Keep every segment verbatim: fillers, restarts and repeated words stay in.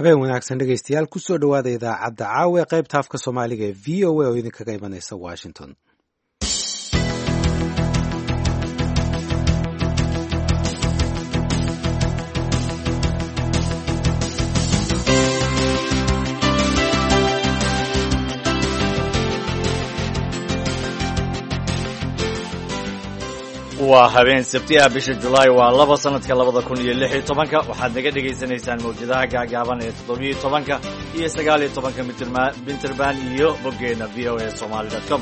Habeen wanaagsan dhegeystayaal, kusoo dhowaada idaacadda caawa ee qaybta afka Soomaaliga ee V O A oo idinkaga imanaysa Washington. Waa habeen Sabti ah, bisha Julaay waa laba, sanadka labada kun iyo lix iyo tobanka. Waxaad naga dhegaysanaysaan mawjadaha gaagaaban ee toddobiyo tobanka iyo sagaal iyo tobanka Minterban iyo boggeena V O A Somali dot com.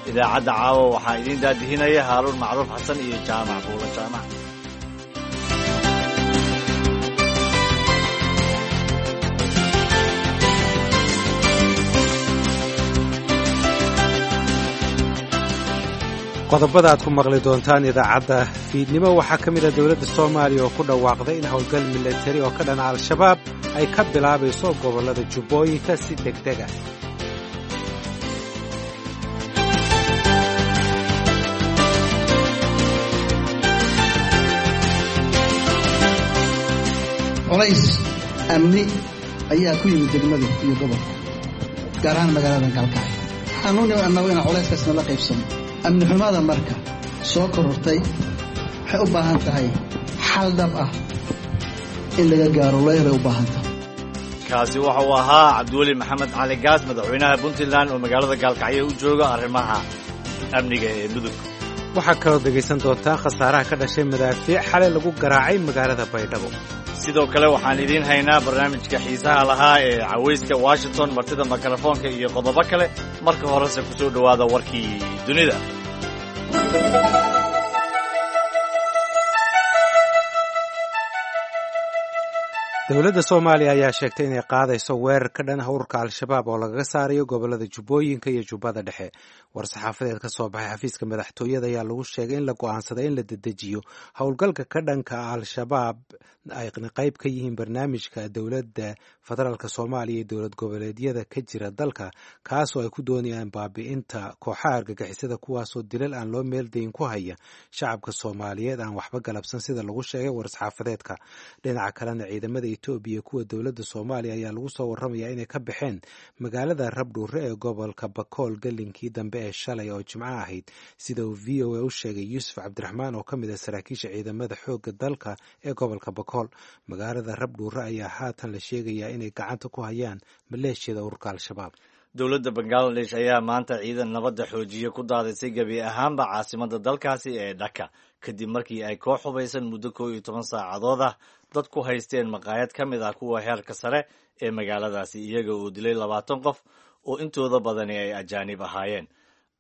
Idaacadda caawa waxaa idiin daadihinaya Haaruun Macruuf Xasan iyo Jaamac Buulo Jaamac. Qodobada aad ku maqli doontaan idaacadda fiidnimo waxaa ka mid ah dowladda Soomaaliya oo ku dhawaaqday in howlgal milatari oo ka dhana Al-Shabaab ay ka bilaabayso gobollada Jubbooyinka si deg deg ah. Culays amni ayaa ku yimid degmada iyo gobolka, gaar ahaan magaalada Gaalkacyo. Waxaanu annagu inaan culayskaasna la qaybsano. Amni xumada marka soo korortay waxay u baahan tahay xal dhab ah in laga gaaro, leeray u baahan tahay. Kaasi waxa uu ahaa Cabdiweli Maxamed Cali Gaas, madaxweynaha Puntland oo magaalada Gaalkacyo u jooga arrimaha amniga ee Mudug. Waxaa kaloo dhegaysan doontaa khasaaraha ka dhashay madaafiic xalay lagu garaacay magaalada Baydhabo. Sidoo kale waxaan idiin haynaa barnaamijka xiisaha lahaa ee Cawayska Washington, martida mikrofoonka iyo qodobo kale. Marka horese ku soo dhowaada warkii dunida. Dowladda Soomaaliya ayaa sheegtay inay qaadayso weerar ka dhan ah ururka Al-Shabaab oo lagaga saarayo gobollada Jubbooyinka iyo Jubbada Dhexe. War-saxaafadeed ka soo baxay xafiiska madaxtooyada ayaa lagu sheegay in la go'aansaday in la dedejiyo howlgalka ka dhanka ah Al-Shabaab ayna qayb ka yihiin barnaamijka dowladda federaalk Soomaaliya iyo dowlad goboleedyada ka jira dalka, kaasoo ay ku doonayaan baabi'inta kooxaha argagixisada, kuwaasoo dilal aan loo meeldayin ku haya shacabka Soomaaliyeed aan waxba galabsan, sida lagu sheegay war-saxaafadeedka. Dhinaca kalena, ciidamada Etoobiya kuwa dowladda Soomaaliya ayaa lagu soo warramayaa inay ka baxeen magaalada Rabdhuure ee gobolka Bakool gelinkii dambe ee shalay oo Jimco ahayd, sida uu V O A u sheegay Yuusuf Cabdiraxmaan oo ka mid ah saraakiisha ciidamada xoogga dalka ee gobolka Bakool. Magaalada Rabdhuure ayaa haatan la sheegayaa inay gacanta ku hayaan maleeshiyada ururka Al-Shabaab. Dowladda Bangaladesh ayaa maanta ciidan nabadda xoojiye ku daadisay gebi ahaanba caasimadda dalkaasi ee Dhaka, kadib markii ay koox hubaysan muddo koo iyo toban saacadood ah dad ku haysteen maqaayad ka mid ah kuwa heerka sare ee magaaladaasi, iyaga oo dilay labaatan qof oo intooda badani ay ajaanib ahaayeen.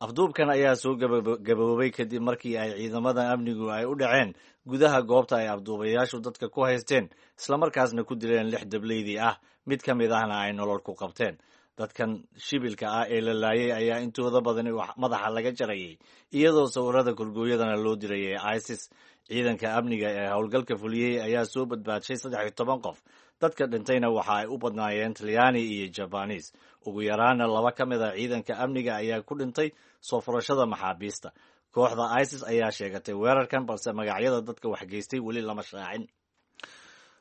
Afduubkan ayaa soo gaboobay kadib markii ay ciidamada amnigu ay u dhaceen gudaha goobta ay afduubayaashu dadka ku haysteen, islamarkaasna ku dileen lix dableydii ah, mid ka mid ahna ay nolol ku qabteen. Dadkan shibilka ah ee la laayay ayaa intooda badani madaxa laga jarayay, iyadoo sawirada korgooyadana loo dirayay ISIS. Ciidanka amniga ee howlgalka fuliyey ayaa soo badbaadshay saddex iyo toban qof. Dadka dhintayna waxa ay u badnaayeen Talyaani iyo Jabanis. Ugu yaraana laba ka mid a ciidanka amniga ayaa ku dhintay soo furashada maxaabiista. Kooxda ISIS ayaa sheegatay weerarkan, balse magacyada dadka waxgeystay weli lama shaacin.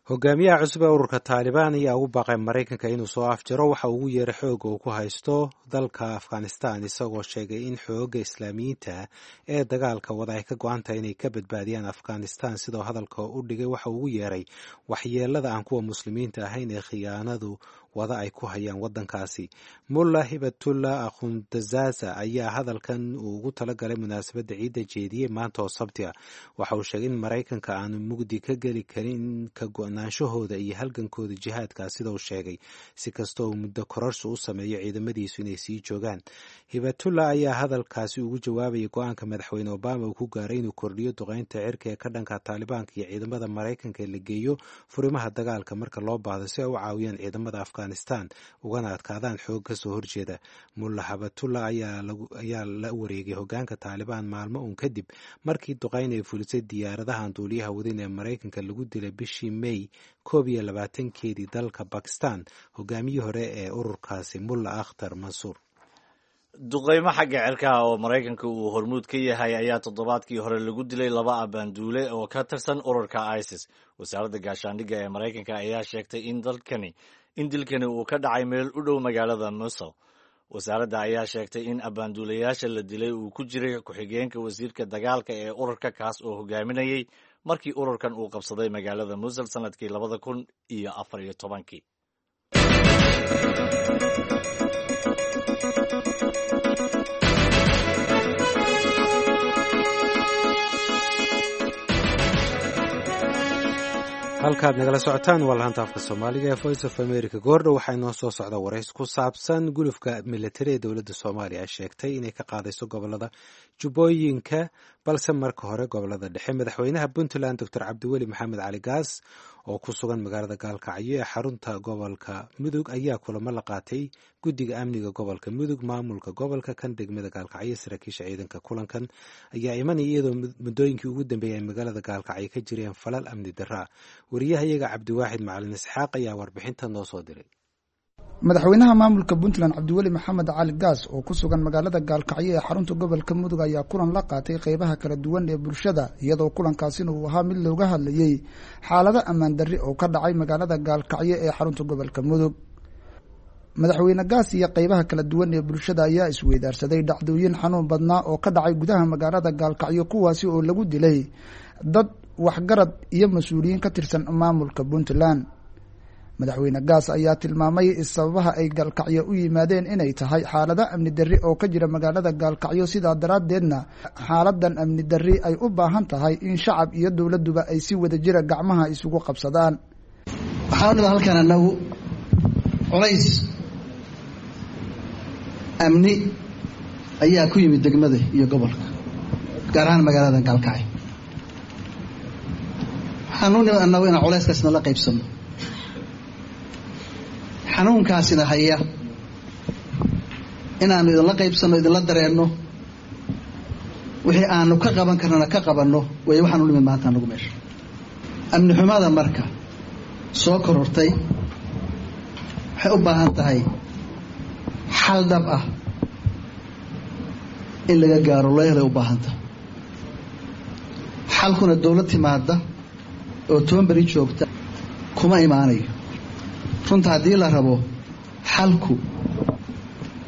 Hogaamiyaha cusub ee ururka Taalibaan ayaa ugu baaqay Maraykanka inuu soo afjaro waxa ugu yeeray xooga uu ku haysto dalka Afghanistan, isagoo sheegay in xooga Islaamiyiinta ee dagaalka wada ay ka go-an tahay inay ka badbaadiyaan Afghanistan. Sidoo hadalka u dhigay waxa ugu yeeray waxyeelada aan kuwa Muslimiinta ahayn ee khiyaanadu wada ay ku hayaan waddankaasi. Mulla Hibatullah Akhundazaza ayaa hadalkan uu ugu talagalay munaasabadda ciidda jeediyey maanta oo Sabti ah. Waxa uu sheegay in Maraykanka aanu mugdi ka geli karin ka go-naanshahooda iyo halgankooda jihaadka, sida uu sheegay, si kasta uu muddo kororsi u sameeyo ciidamadiisu inay sii joogaan. Hibatullah ayaa hadalkaasi ugu jawaabayay go-aanka madaxweyne Obama uu ku gaaray inuu kordhiyo duqeynta cirka ee ka dhanka Taalibaanka iyo ciidamada Maraykanka ee la geeyo furimaha dagaalka marka loo baahdo si ay u caawiyaan ciidamada Afghanistan ugana adkaadaan xoog ka soo horjeeda. Mulla Habatullah ayaa la wareegay hogaanka Taalibaan maalmo uun kadib markii duqeyn ay fulisay diyaaradahan duuliyaha wadin ee Maraykanka lagu dilay bishii May koob iyo labaatankeedii dalka Bakistan hogaamiyii hore ee ururkaasi Mulla Akhtar Mansuur. Duqeymo xagga cirkaha oo Maraykanka uu hormuud ka yahay ayaa toddobaadkii hore lagu dilay laba abaanduule oo ka tirsan ururka ISIS. Wasaaradda gaashaandhigga ee Maraykanka ayaa sheegtay in dalkani in dilkani uu ka dhacay meel u dhow magaalada Mosul. Wasaaradda ayaa sheegtay in abaanduulayaasha la dilay uu ku jiray ku-xigeenka wasiirka dagaalka ee ururka, kaas oo hogaaminayay markii ururkan uu qabsaday magaalada Mosul sanadkii labada kun iyo afar iyo tobankii. Halkaad nagala socotaan waa lahanta afka Soomaaliga ee Voice of America. Goordhow waxaa inoo soo socda warays ku saabsan gulufka militari ee dowladda Soomaaliya ay sheegtay inay ka qaadayso gobolada Jubbooyinka, balse marka hore gobolada dhexe. Madaxweynaha Puntland Doctor Cabdiweli Maxamed Cali Gaas oo ku sugan magaalada Gaalkacyo ee xarunta gobolka Mudug ayaa kulamo la qaatay guddiga amniga gobolka Mudug, maamulka gobolka, kan degmada Gaalkacyo, saraakiisha ciidanka. Kulankan ayaa imanaya iyadoo muddooyinkii ugu dambeeyay ay magaalada Gaalkacyo ka jireen falal amni darra. Wariyahayaga Cabdiwaaxid Macalin Isxaaq ayaa warbixinta noo soo diray. Madaxweynaha maamulka Puntland Cabdiweli Maxamed Cali Gaas oo ku sugan magaalada Gaalkacyo ee xarunta gobolka Mudug ayaa kulan la qaatay qeybaha kala duwan ee bulshada, iyadoo kulankaasina uu ahaa mid looga hadlayey xaalado ammaan darri oo ka dhacay magaalada Gaalkacyo ee xarunta gobolka Mudug. Madaxweyne Gaas iyo qeybaha kala duwan ee bulshada ayaa isweydaarsaday dhacdooyin xanuun badnaa oo ka dhacay gudaha magaalada Gaalkacyo, kuwaasi oo lagu dilay dad waxgarad iyo mas-uuliyiin ka tirsan maamulka Puntland. Madaxweyne Gaas ayaa tilmaamay sababaha ay Gaalkacyo u yimaadeen inay tahay xaalado amni darri oo ka jira magaalada Gaalkacyo, sidaa daraaddeedna xaaladan amni darri ay u baahan tahay in shacab iyo dowladduba ay si wada jira gacmaha isugu qabsadaan. Waxaan unida halkan annagu culays amni ayaa ku yimid degmada iyo gobolka, gaar ahaan magaalada Gaalkacyo. Waxaan u nimid annagu inaan culayskaasna la qaybsano, xanuunkaasina haya inaanu idinla qaybsanno, idinla dareenno, wixii aanu ka qaban karnana ka qabanno way. Waxaan u nimid maanta anagu meesha amni xumada marka soo korortay waxay u baahan tahay xal dhab ah in laga gaaro, loo helay u baahan tahay. Xalkuna dowlad timaada oo toban beri joogta kuma imaanayo. Runta haddii la rabo, xalku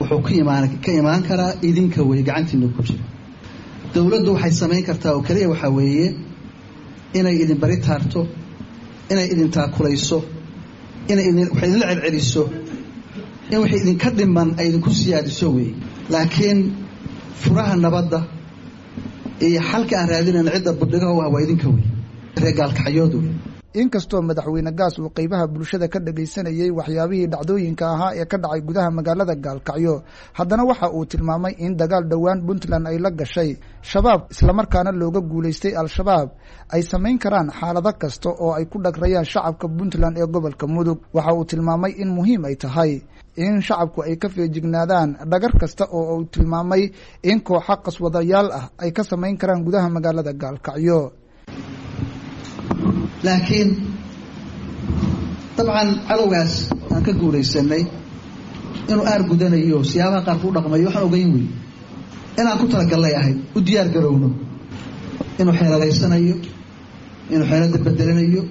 wuxuu ka imaan ka imaan karaa idinka wey, gacantiina ku jira. Dowladdu waxay samayn kartaa oo keliya waxaa weeye inay idin bari taarto, inay idin taakulayso, inay idin wax idinla celceliso, in wixii idinka dhiman ay idinku siyaadiso weeye. Laakiin furaha nabadda iyo xalka aan raadinayna cidda budhigaha u ah waa idinka wey, reer Gaalkacyood wey. Inkastoo madaxweyne Gaas uu qeybaha bulshada ka dhagaysanayey waxyaabihii dhacdooyinka ahaa ee ka dhacay gudaha magaalada Gaalkacyo, haddana waxa uu tilmaamay in dagaal dhowaan Puntland ay la gashay Shabaab islamarkaana looga guulaystay Al-Shabaab ay samayn karaan xaalado kasta oo ay ku dhagrayaan shacabka Puntland ee gobolka Mudug. Waxa uu tilmaamay in muhiim ay tahay in shacabku ay ka feejignaadaan dhagar kasta oo uu tilmaamay in kooxa qaswadayaal ah ay ka samayn karaan gudaha magaalada Gaalkacyo. Laakiin dabcan cadowgaas aan ka guulaysanay inuu aar gudanayo, siyaabaha qaarku u dhaqmayo waxaan ogeyn wey inaan ku talagallay ahayd u diyaar garowno inuu xeeladaysanayo, inuu xeelada bedelanayo,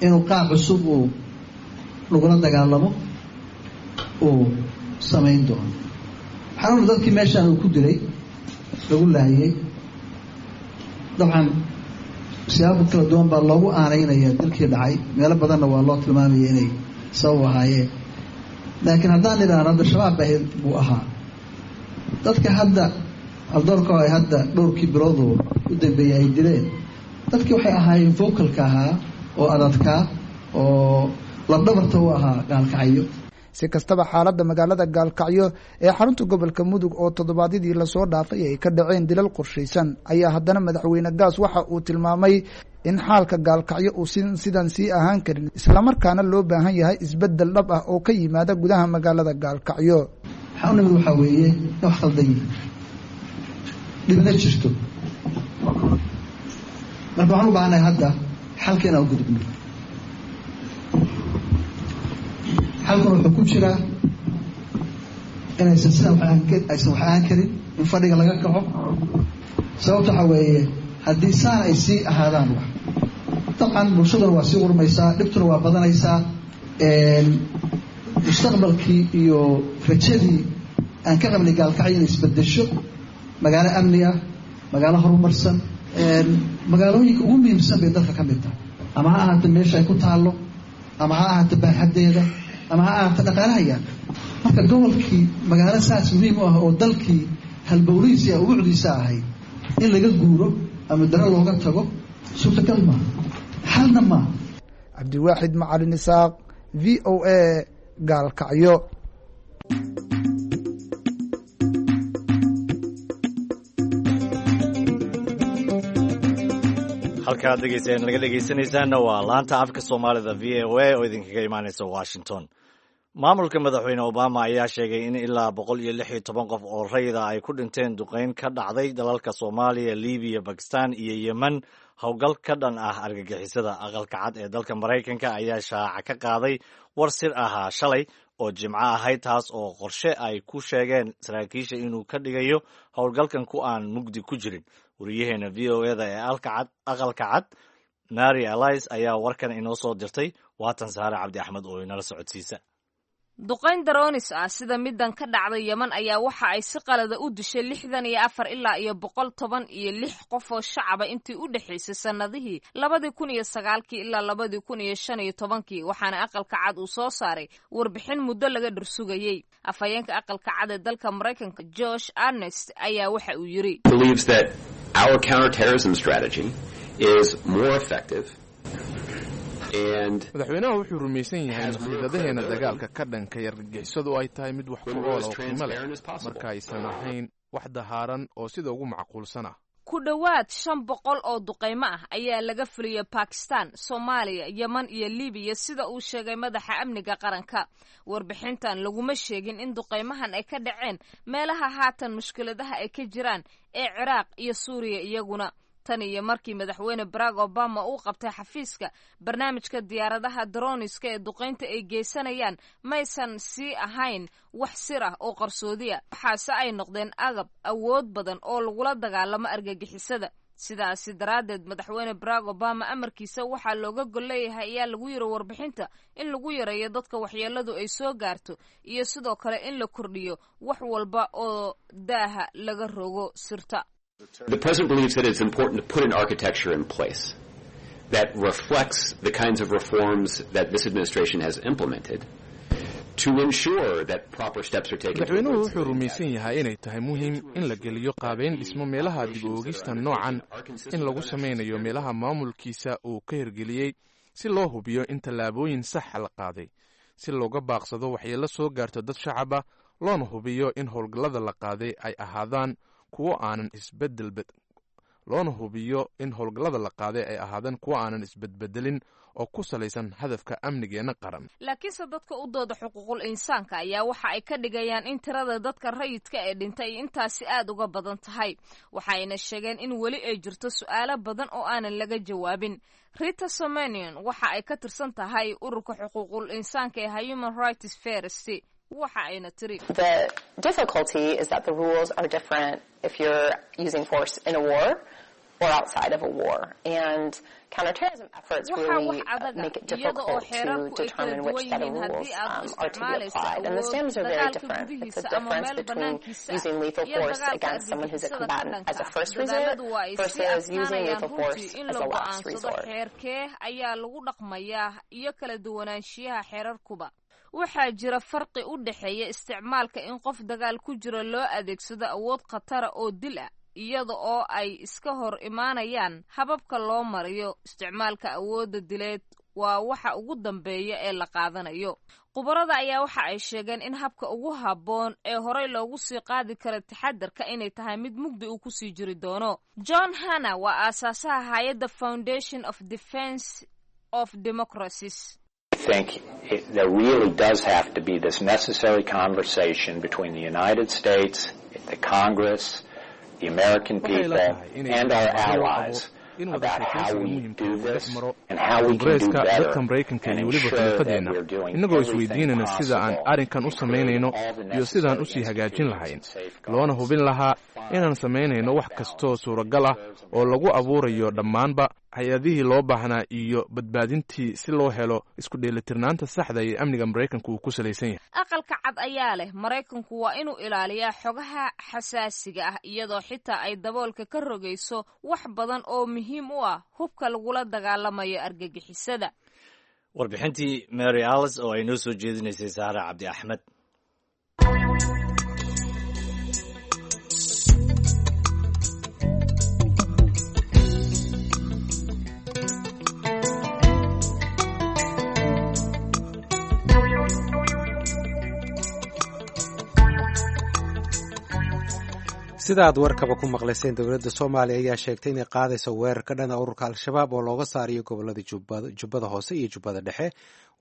inuu qaab cusub uu lagula dagaalamo uu samayn doono. Waxaan una dadkii meeshaan uu ku dilay lagu laayay, dabcan siyaabo kala duwan baa loogu aaneynaya dilkii dhacay, meelo badanna waa loo tilmaamaya inay sabab ahaayeen. Laakiin haddaan idhaahno hadda Shabaab ahayd buu ahaa, dadka hadda aldoorka ay hadda dhowrkii biloodoo u dambeeyey ay dileen dadkii waxay ahaayeen vocalka ahaa oo adadkaa oo labdhabarta u ahaa Gaalkacyo. Si kastaba, xaaladda magaalada Gaalkacyo ee xarunta gobolka Mudug oo toddobaadyadii lasoo dhaafay ay ka dhaceen dilal qorshaysan ayaa haddana madaxweyne Gaas waxa uu tilmaamay in xaalka Gaalkacyo uu si sidan sii ahaan karin, islamarkaana loo baahan yahay isbeddel dhab ah oo ka yimaada gudaha magaalada Gaalkacyo. Waxaa u nimid waxaa weeye in wax khaldan yihi, dhibna jirto. Marka waxaan u baahannahay hadda xalka inaan u gudubno. Xalkuna wuxuu ku jiraa Inaysan sidan aysan wax ahaan karin in fadhiga laga kaco. Sababta waxaa weeye haddii saan ay sii ahaadaan wax dabcan bulshaduna waa sii qurmaysaa, dhibtuna waa badanaysaa, mustaqbalkii iyo rajadii aan ka qabnay Gaalkacyo inay isbedesho magaalo amni ah, magaalo horumarsan, magaalooyinka ugu muhiimsan bay dalka ka mid tahay, ama ha ahaato meesha ay ku taallo, ama ha ahaato baaxaddeeda, ama ha ahaato dhaqaalaha yaalla. Marka gobolkii magaalo saas muhiim u ah oo dalkii halbowlihiisa iyo ubucdiisa ahayd in laga guuro ama daro looga tago suurtagal maaha, xalna maaha. Cabdiwaaxid Macalin Isaaq, V O A, Gaalkacyo. Halkaad dhegeystayaal naga dhegeysanaysaanna waa laanta afka Soomaalida V O A oo idinkaga imaaneysa Washington. Maamulka Madaxweyne Obama ayaa sheegay in ilaa boqol iyo lix iyo toban qof oo rayida ay ku dhinteen duqeyn ka dhacday dalalka Soomaaliya, Libiya, Bakistan iyo Yemen, howlgal ka dhan ah argagixisada. Aqalka Cad ee dalka Maraykanka ayaa shaaca ka qaaday war sir ahaa shalay oo Jimco ahayd, taas oo qorshe ay ku sheegeen saraakiisha inuu ka dhigayo howlgalkan ku aan mugdi ku jirin. Wariyaheena V O eda ee Aqalka Cad, Mary Alice, ayaa warkan inoo soo dirtay. Waatan Saare Cabdi Axmed oo inala socodsiisa. Duqayn daroonis ah sida middan ka dhacday Yeman ayaa waxa ay si qalada u dishay lixdan iyo afar ilaa iyo boqol toban iyo lix qof oo shacaba intii u dhexaysay sannadihii labadii kun iyo sagaalkii ilaa labadii kun iyo shan iyo tobankii, waxaana Aqalka Cad uu soo saaray warbixin muddo laga dhursugayey. Afhayeenka Aqalka Cad ee dalka Maraykanka, Josh Arnest, ayaa waxa uu yidhi: believes that our counterterrorism strategy is more effective. Madaxweynaha wuxuu rumaysan yahay in khiidadaheena dagaalka ka dhanka argagixisadu ay tahay mid wax ku ool oo qiimo leh marka aysan ahayn wax dahaaran oo sida ugu macquulsan ah. Ku dhowaad shan boqol oo duqaymo ah ayaa laga fuliyey Bakistan, Soomaaliya, Yeman iyo Libiya, sida uu sheegay madaxa amniga qaranka. Warbixintan laguma sheegin in duqaymahan ay ka dhaceen meelaha haatan mushkiladaha ay ka jiraan ee Ciraaq iyo Suuriya iyaguna. Tan iyo markii Madaxweyne Barack Obama uu qabtay xafiiska, barnaamijka diyaaradaha droniska ee duqaynta ay geysanayaan maysan sii ahayn wax sir ah oo qarsoodiya, waxaase ay noqdeen agab awood badan oo lagula dagaalamo argagixisada. Sidaasi daraaddeed, Madaxweyne Barack Obama amarkiisa waxaa looga gol leeyahay, ayaa lagu yiri warbixinta, in lagu yareeyo dadka waxyeeladu ay soo gaarto iyo sidoo kale in la kordhiyo wax walba oo daaha laga rogo sirta. The president believes that it's important to put an architecture in place that reflects the kinds of reforms that this administration has implemented to ensure that proper steps are taken. Madaxweynuhu wuxuu rumaysan yahay inay tahay muhiim in la geliyo qaabeyn dhismo meelaha dib u oogista noocan in lagu samaynayo meelaha maamulkiisa uu ka hirgeliyey, si loo hubiyo in tallaabooyin saxa la qaaday si looga baaqsado waxyeello soo gaarto dad shacaba, loona hubiyo in howlgallada la qaaday ay ahaadaan kuwo aanan isbedel, loona hubiyo in howlgallada la qaaday ay ahaadaan kuwo aanan isbedbedelin oo ku salaysan hadafka amnigeenna qaran. Laakiinse dadka u dooda xuquuqul insaanka ayaa waxa ay ka dhigayaan in tirada dadka rayidka ee dhintay intaasi aad uga badan tahay, waxayna sheegeen in weli ay jirto su'aalo badan oo aanan laga jawaabin. Rita Somanion waxa ay ka tirsan tahay ururka xuquuqul insaanka ee Human Rights First, waxa ayna tiri: The difficulty is that the rules are different if you're using force in a war or outside of a war. And counterterrorism efforts really make it difficult to determine which set of rules um, are to be applied. And the standards are very different. It's a difference between using lethal force against someone who's a combatant as a first resort versus using lethal force as a last resort. Xeerkee ayaa lagu dhaqmayaa iyo kala duwanaanshiyaha xeerarkuba? Waxaa jira farqi u dhexeeya isticmaalka in qof dagaal ku jiro loo adeegsado awood khatara oo dil ah, iyada oo ay iska hor imaanayaan hababka loo mariyo isticmaalka awoodda dileed waa waxa ugu dambeeya ee la qaadanayo. Khubarada ayaa waxa ay sheegeen in habka ugu habboon ee horey loogu sii qaadi karo taxadarka inay tahay mid mugdi uu kusii jiri doono. John Hanna waa aasaasaha hay-adda Foundation of Defense of Democracies. Think it, there really does have to be this necessary conversation between the United States, the Congress, the American people, and our allies In wada sheekaysiga muhiimka uu dhex maro Koongareeska, dadka Maraykanka iyo weliba xulafadeenna, innagoo isweydiinayna sida aan arrinkan u samaynayno iyo sidaan usii hagaajin lahayn, loona hubin lahaa inaan samaynayno wax kastoo suuragal ah oo lagu abuurayo dhammaanba hay-adihii loo baahnaa iyo badbaadintii si loo helo isku dheelitirnaanta saxda ee amniga Maraykanku uu ku salaysan yahay. Aqalka Cad ayaa leh Maraykanku waa inuu ilaaliyaa xogaha xasaasiga ah, iyadoo xitaa ay daboolka ka rogayso wax badan oo muhiim u ah hubka lagula dagaalamayo argagixisada. Warbixintii Mary Alice oo ay noo soo jeedinaysay Saara Cabdi Axmed. Sida aad warkaba ku maqlayseen, dowladda Soomaaliya ayaa sheegtay inay qaadayso weerar ka dhana ururka Al-Shabaab oo looga saarayo gobolada Jubbada Hoose iyo Jubbada Dhexe.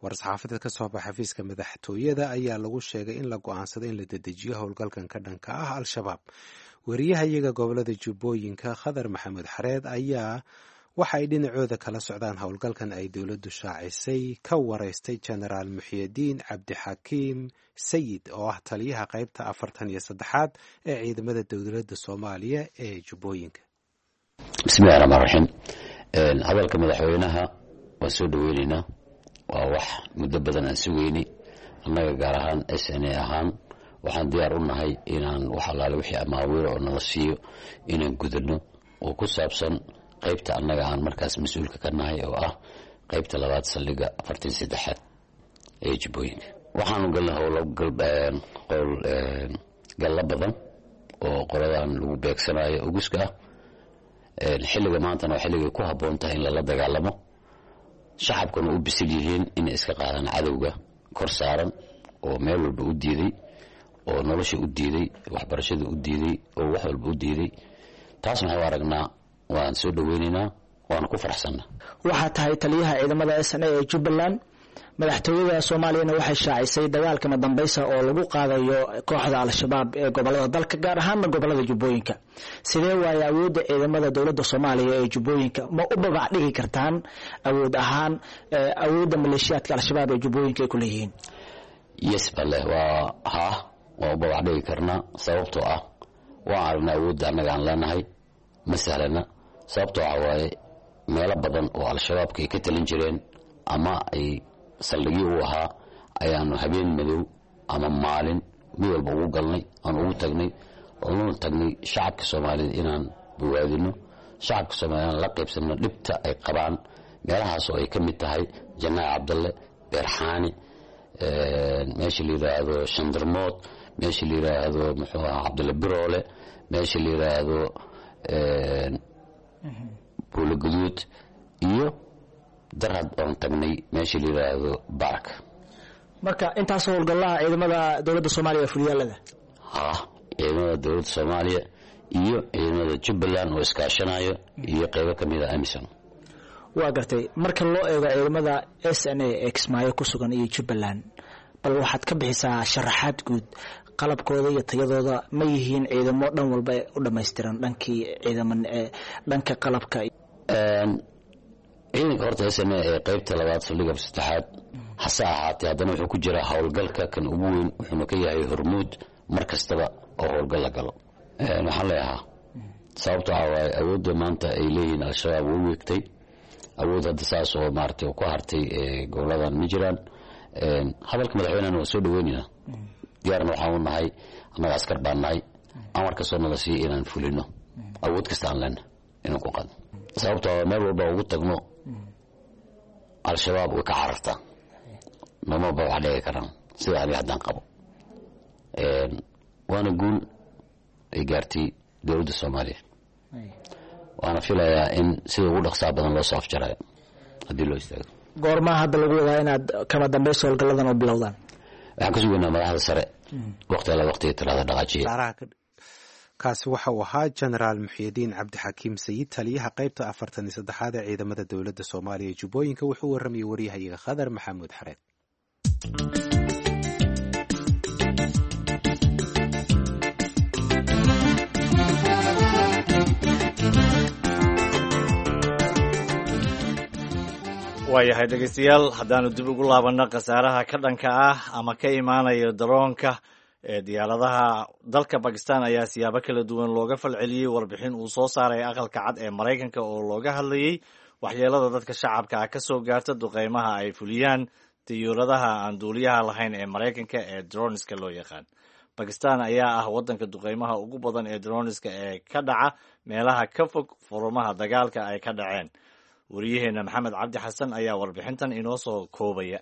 War-saxaafadeed ka soo baxa xafiiska madaxtooyada ayaa lagu sheegay in la go-aansaday in la dedejiyo howlgalkan ka dhanka ah Al-Shabaab. Wariyaha iyaga gobolada Jubbooyinka, Khadar Maxamuud Xareed, ayaa waxa ay dhinacooda kala socdaan howlgalkan ay dowladdu shaacisay ka waraystay Jenaraal Muxyidiin Cabdixakiim Sayid oo ah taliyaha qaybta afartan iyo saddexaad ee ciidamada dowladda Soomaaliya ee Jubbooyinka. Bismillahi raxmaan raxiim. Hadalka madaxweynaha waan soo dhaweyneynaa, waa wax muddo badan aan sugeynay. Annaga gaar ahaan S N A ahaan waxaan diyaar u nahay inaan wax allaale wixii amaawiir oo nala siiyo inaan gudano oo ku saabsan qaybta annaga aan markaas mas-uulka ka nahay, oo ah qaybta labaad saldhigga afartan saddexaad ee Jubbooyinka. Waxaanu galnay howlo qowl gallo badan oo qoladan lagu beegsanayo uguska ah. Xilliga maantana waa xilligay ku habboon tahay in lala dagaalamo, shacabkuna u bisil yihiin inay iska qaadaan cadowga kor saaran oo meel walba u diiday, oo nolosha u diiday, waxbarashada u diiday, oo wax walba u diiday. Taasna waxaan u aragnaa, waan soo dhaweynaynaa, waana ku faraxsannaa. Waxaa tahay taliyaha ciidamada S N A ee Jubbaland. Madaxtooyada Soomaaliyana waxay shaacisay dagaalkama dambaysa oo lagu qaadayo kooxda Al-Shabaab ee gobolada dalka, gaar ahaana gobolada Jubbooyinka. Sidee waaye awoodda ciidamada dowladda Soomaaliya ee Jubbooyinka? Ma u babac dhigi kartaan awood ahaan awoodda maleeshiyaadka Al-Shabaab ee Jubbooyinka ay ku leeyihiin? Yes bale, waa haa, waan u babac dhigi karnaa, sababtoo ah waan aragnaa awoodda annaga aan leenahay ma sahlana, sababtoo waxa waaye meelo badan oo Al-Shabaabka ay ka talin jireen ama ay saldhigyo u ahaa ayaanu habeen madow ama maalin mid walba ugu galnay, aan ugu tagnay, oonuna tagnay shacabka Soomaalida inaan bogaadino, shacabka Soomaalida inaan la qaybsanno dhibta ay qabaan, meelahaas oo ay ka mid tahay Janaac Cabdalle, Beerxaani, meesha la yidhaahdo Shandarmood, meesha la yidhaahdo muxuu ahaa Cabdalle Biroole, meesha la yidhaahdo Buulo Guduud, iyo Darhad oon tagnay meesha la yidhaahdo Barak. Marka intaas howlgallaha ciidamada dowladda Soomaaliya fuliyaalada? Haa, ciidamada dowladda Soomaaliya iyo ciidamada Jubbaland oo iskaashanayo iyo qeybo ka mid a AMISOM. Waa gartay. Marka loo eego ciidamada S N A ee Kismaayo ku sugan iyo Jubbaland, bal waxaad ka bixisaa sharaxaad guud qalabkooda iyo tayadooda. Ma yihiin ciidamo dhan walba u dhammaystiran dhankii ciidaman dhanka qalabka? Ciidanka horta S N A ee qaybta labaad saldhigga saddexaad hase ahaatee haddana wuxuu ku jiraa howlgalka kan ugu weyn, wuxuuna ka yahay hormuud mar kastaba oo howlgal la galo. Waxaan leeyahaa sababto waxaa waaye awoodda maanta ay leeyihiin Al-Shabaab wuu weegtay, awood hadda saas oo maaragtay ku hartay goboladan ma jiraan. Hadalka madaxweynehana waa soo dhaweynaynaa, diyaarna waxaan u nahay, annaga askar baan nahay, amar kastoo nala siiya inaan fulino, awood kasta aan leenahay inaan ku qaadno, sababtoo meel walba ugu tagno Al-Shabaab way ka carartaa, namaba wax dhigi karaan sida aniga haddaan qabo. Waana guul ay gaartay dowladda Soomaaliya, waana filayaa in sida ugu dhaqsaa badan loo soo afjarayo haddii loo istaago. Goormaa hadda lagu wadaa inaad kama dambaysa howlgalladan oo bilowdaan? Waxaan ka sugaynaa madaxda sare waqti alla waqtiga talaada dhaqaajiya. Kaasi waxa uu ahaa Jenaraal Muxyidiin Cabdixakiim Sayid, taliyaha qaybta afartan iyo saddexaad ee ciidamada dowladda Soomaaliya ee Jubbooyinka. Wuxuu warramayay waryahayaga Khadar Maxamuud Xareed. Waayahay dhegeystayaal, haddaanu dib ugu laabanno khasaaraha ka dhanka ah ama ka imaanaya daroonka ee diyaaradaha dalka Bakistan ayaa siyaabo kala duwan looga falceliyey warbixin uu soo saaray Aqalka Cad ee Maraykanka oo looga hadlayey waxyeelada dadka shacabka ah ka soo gaarta duqeymaha ay fuliyaan diyuuradaha aan duuliyaha lahayn ee Maraykanka ee droniska loo yaqaan. Bakistan ayaa ah waddanka duqeymaha ugu badan ee droniska ee ka dhaca meelaha ka fog furumaha dagaalka ay ka dhaceen. Wariyaheena Maxamed Cabdi Xasan ayaa warbixintan inoo soo koobaya.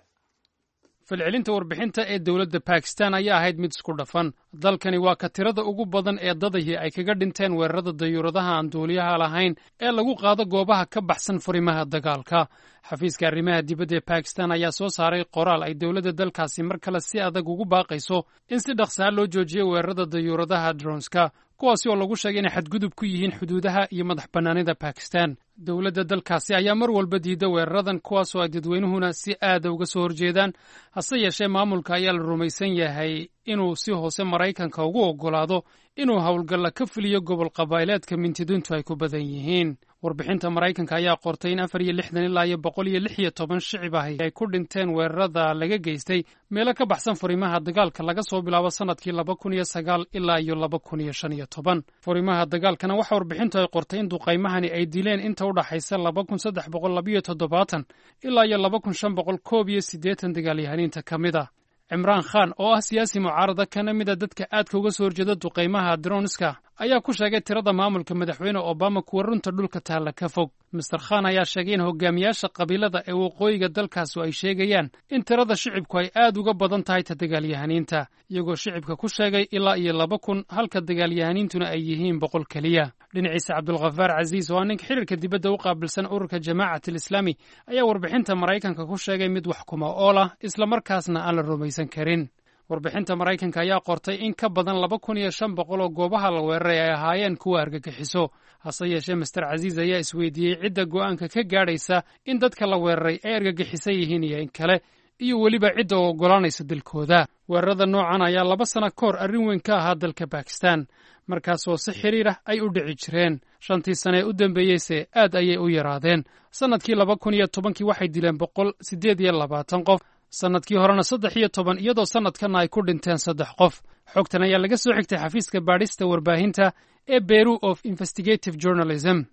Falcelinta warbixinta ee dowladda Bakistan ayaa ahayd mid isku dhafan. Dalkani waa ka tirada ugu badan ee dadahii ay kaga dhinteen weerarada dayuuradaha aan duuliyaha lahayn ee lagu qaado goobaha ka baxsan furimaha dagaalka. Xafiiska arrimaha dibadda ee Bakistan ayaa soo saaray qoraal ay dowladda dalkaasi mar kale si adag ugu baaqayso in si dhaqsaa loo joojiyo weerarada dayuuradaha dronska, kuwaasi oo lagu sheegay inay xadgudub ku yihiin xuduudaha iyo madax bannaanida Bakistan. Dowladda dalkaasi ayaa mar walba diida weeraradan, kuwaasoo ay dadweynuhuna si aada uga soo horjeedaan. Hase yeeshee, maamulka ayaa la rumaysan yahay inuu si hoose Maraykanka ugu oggolaado inuu howlgalla ka fuliyo gobol qabaa'ileedka mintidiintu ay ku badan yihiin. Warbixinta Maraykanka ayaa qortay in afar iyo lixdan ilaa iyo boqol iyo lix iyo toban shicib ahi ay ku dhinteen weerarada laga geystay meelo ka baxsan furimaha dagaalka laga soo bilaabo sanadkii laba kun iyo sagaal ilaa iyo laba kun iyo shan iyo toban. Furimaha dagaalkana waxa warbixintu ay qortay in duqaymahani ay dileen inta u dhaxaysa laba kun saddex boqol labiyo toddobaatan ilaa iyo laba kun shan boqol koob iyo siddeetan dagaalyahaniinta ka mid a. Cimraan Khan oo ah siyaasi mucaarada kana mid a dadka aadka uga soo horjeeda duqaymaha dronska ayaa ku sheegay tirada maamulka madaxweyne Obama kuwa runta dhulka taalla ka fog. Mister Khan ayaa sheegay in hogaamiyaasha qabiilada ee waqooyiga dalkaasu ay sheegayaan in tirada shicibku ay aad uga badan tahay ta dagaalyahaniinta, iyagoo shicibka ku sheegay ilaa iyo laba kun, halka dagaalyahaniintuna ay yihiin boqol keliya. Dhinaciisa, Cabdulkhafaar Casiis oo ah ninka xiriirka dibadda u qaabilsan ururka Jamaacat Alislaami ayaa warbixinta Maraykanka ku sheegay mid wax kuma ool ah, islamarkaasna aan la rumaysan karin. Warbixinta Maraykanka ayaa qortay in ka badan laba kun iyo shan boqol oo goobaha la weeraray ay ahaayeen kuwa argagixiso. Hase yeeshee, Master Casiis ayaa isweydiiyey cidda go'aanka ka gaadhaysa in dadka la weeraray ay argagixisan yihiin iyo in kale, iyo weliba cidda oo oggolaanaysa dilkooda. Weerarada noocan ayaa laba sano ka hor arrin weyn ka ahaa dalka Bakistan, markaasoo si xiriir ah ay u dhici jireen. Shantii sane ee u dambeeyeyse aad ayay u yaraadeen. Sannadkii laba kun iyo tobankii waxay dileen boqol siddeed iyo labaatan qof, sannadkii horena saddex iyo toban, iyadoo sannadkanna ay ku dhinteen saddex qof. Xogtan ayaa laga soo xigtay xafiiska baadhista warbaahinta ee Bureau of Investigative Journalism.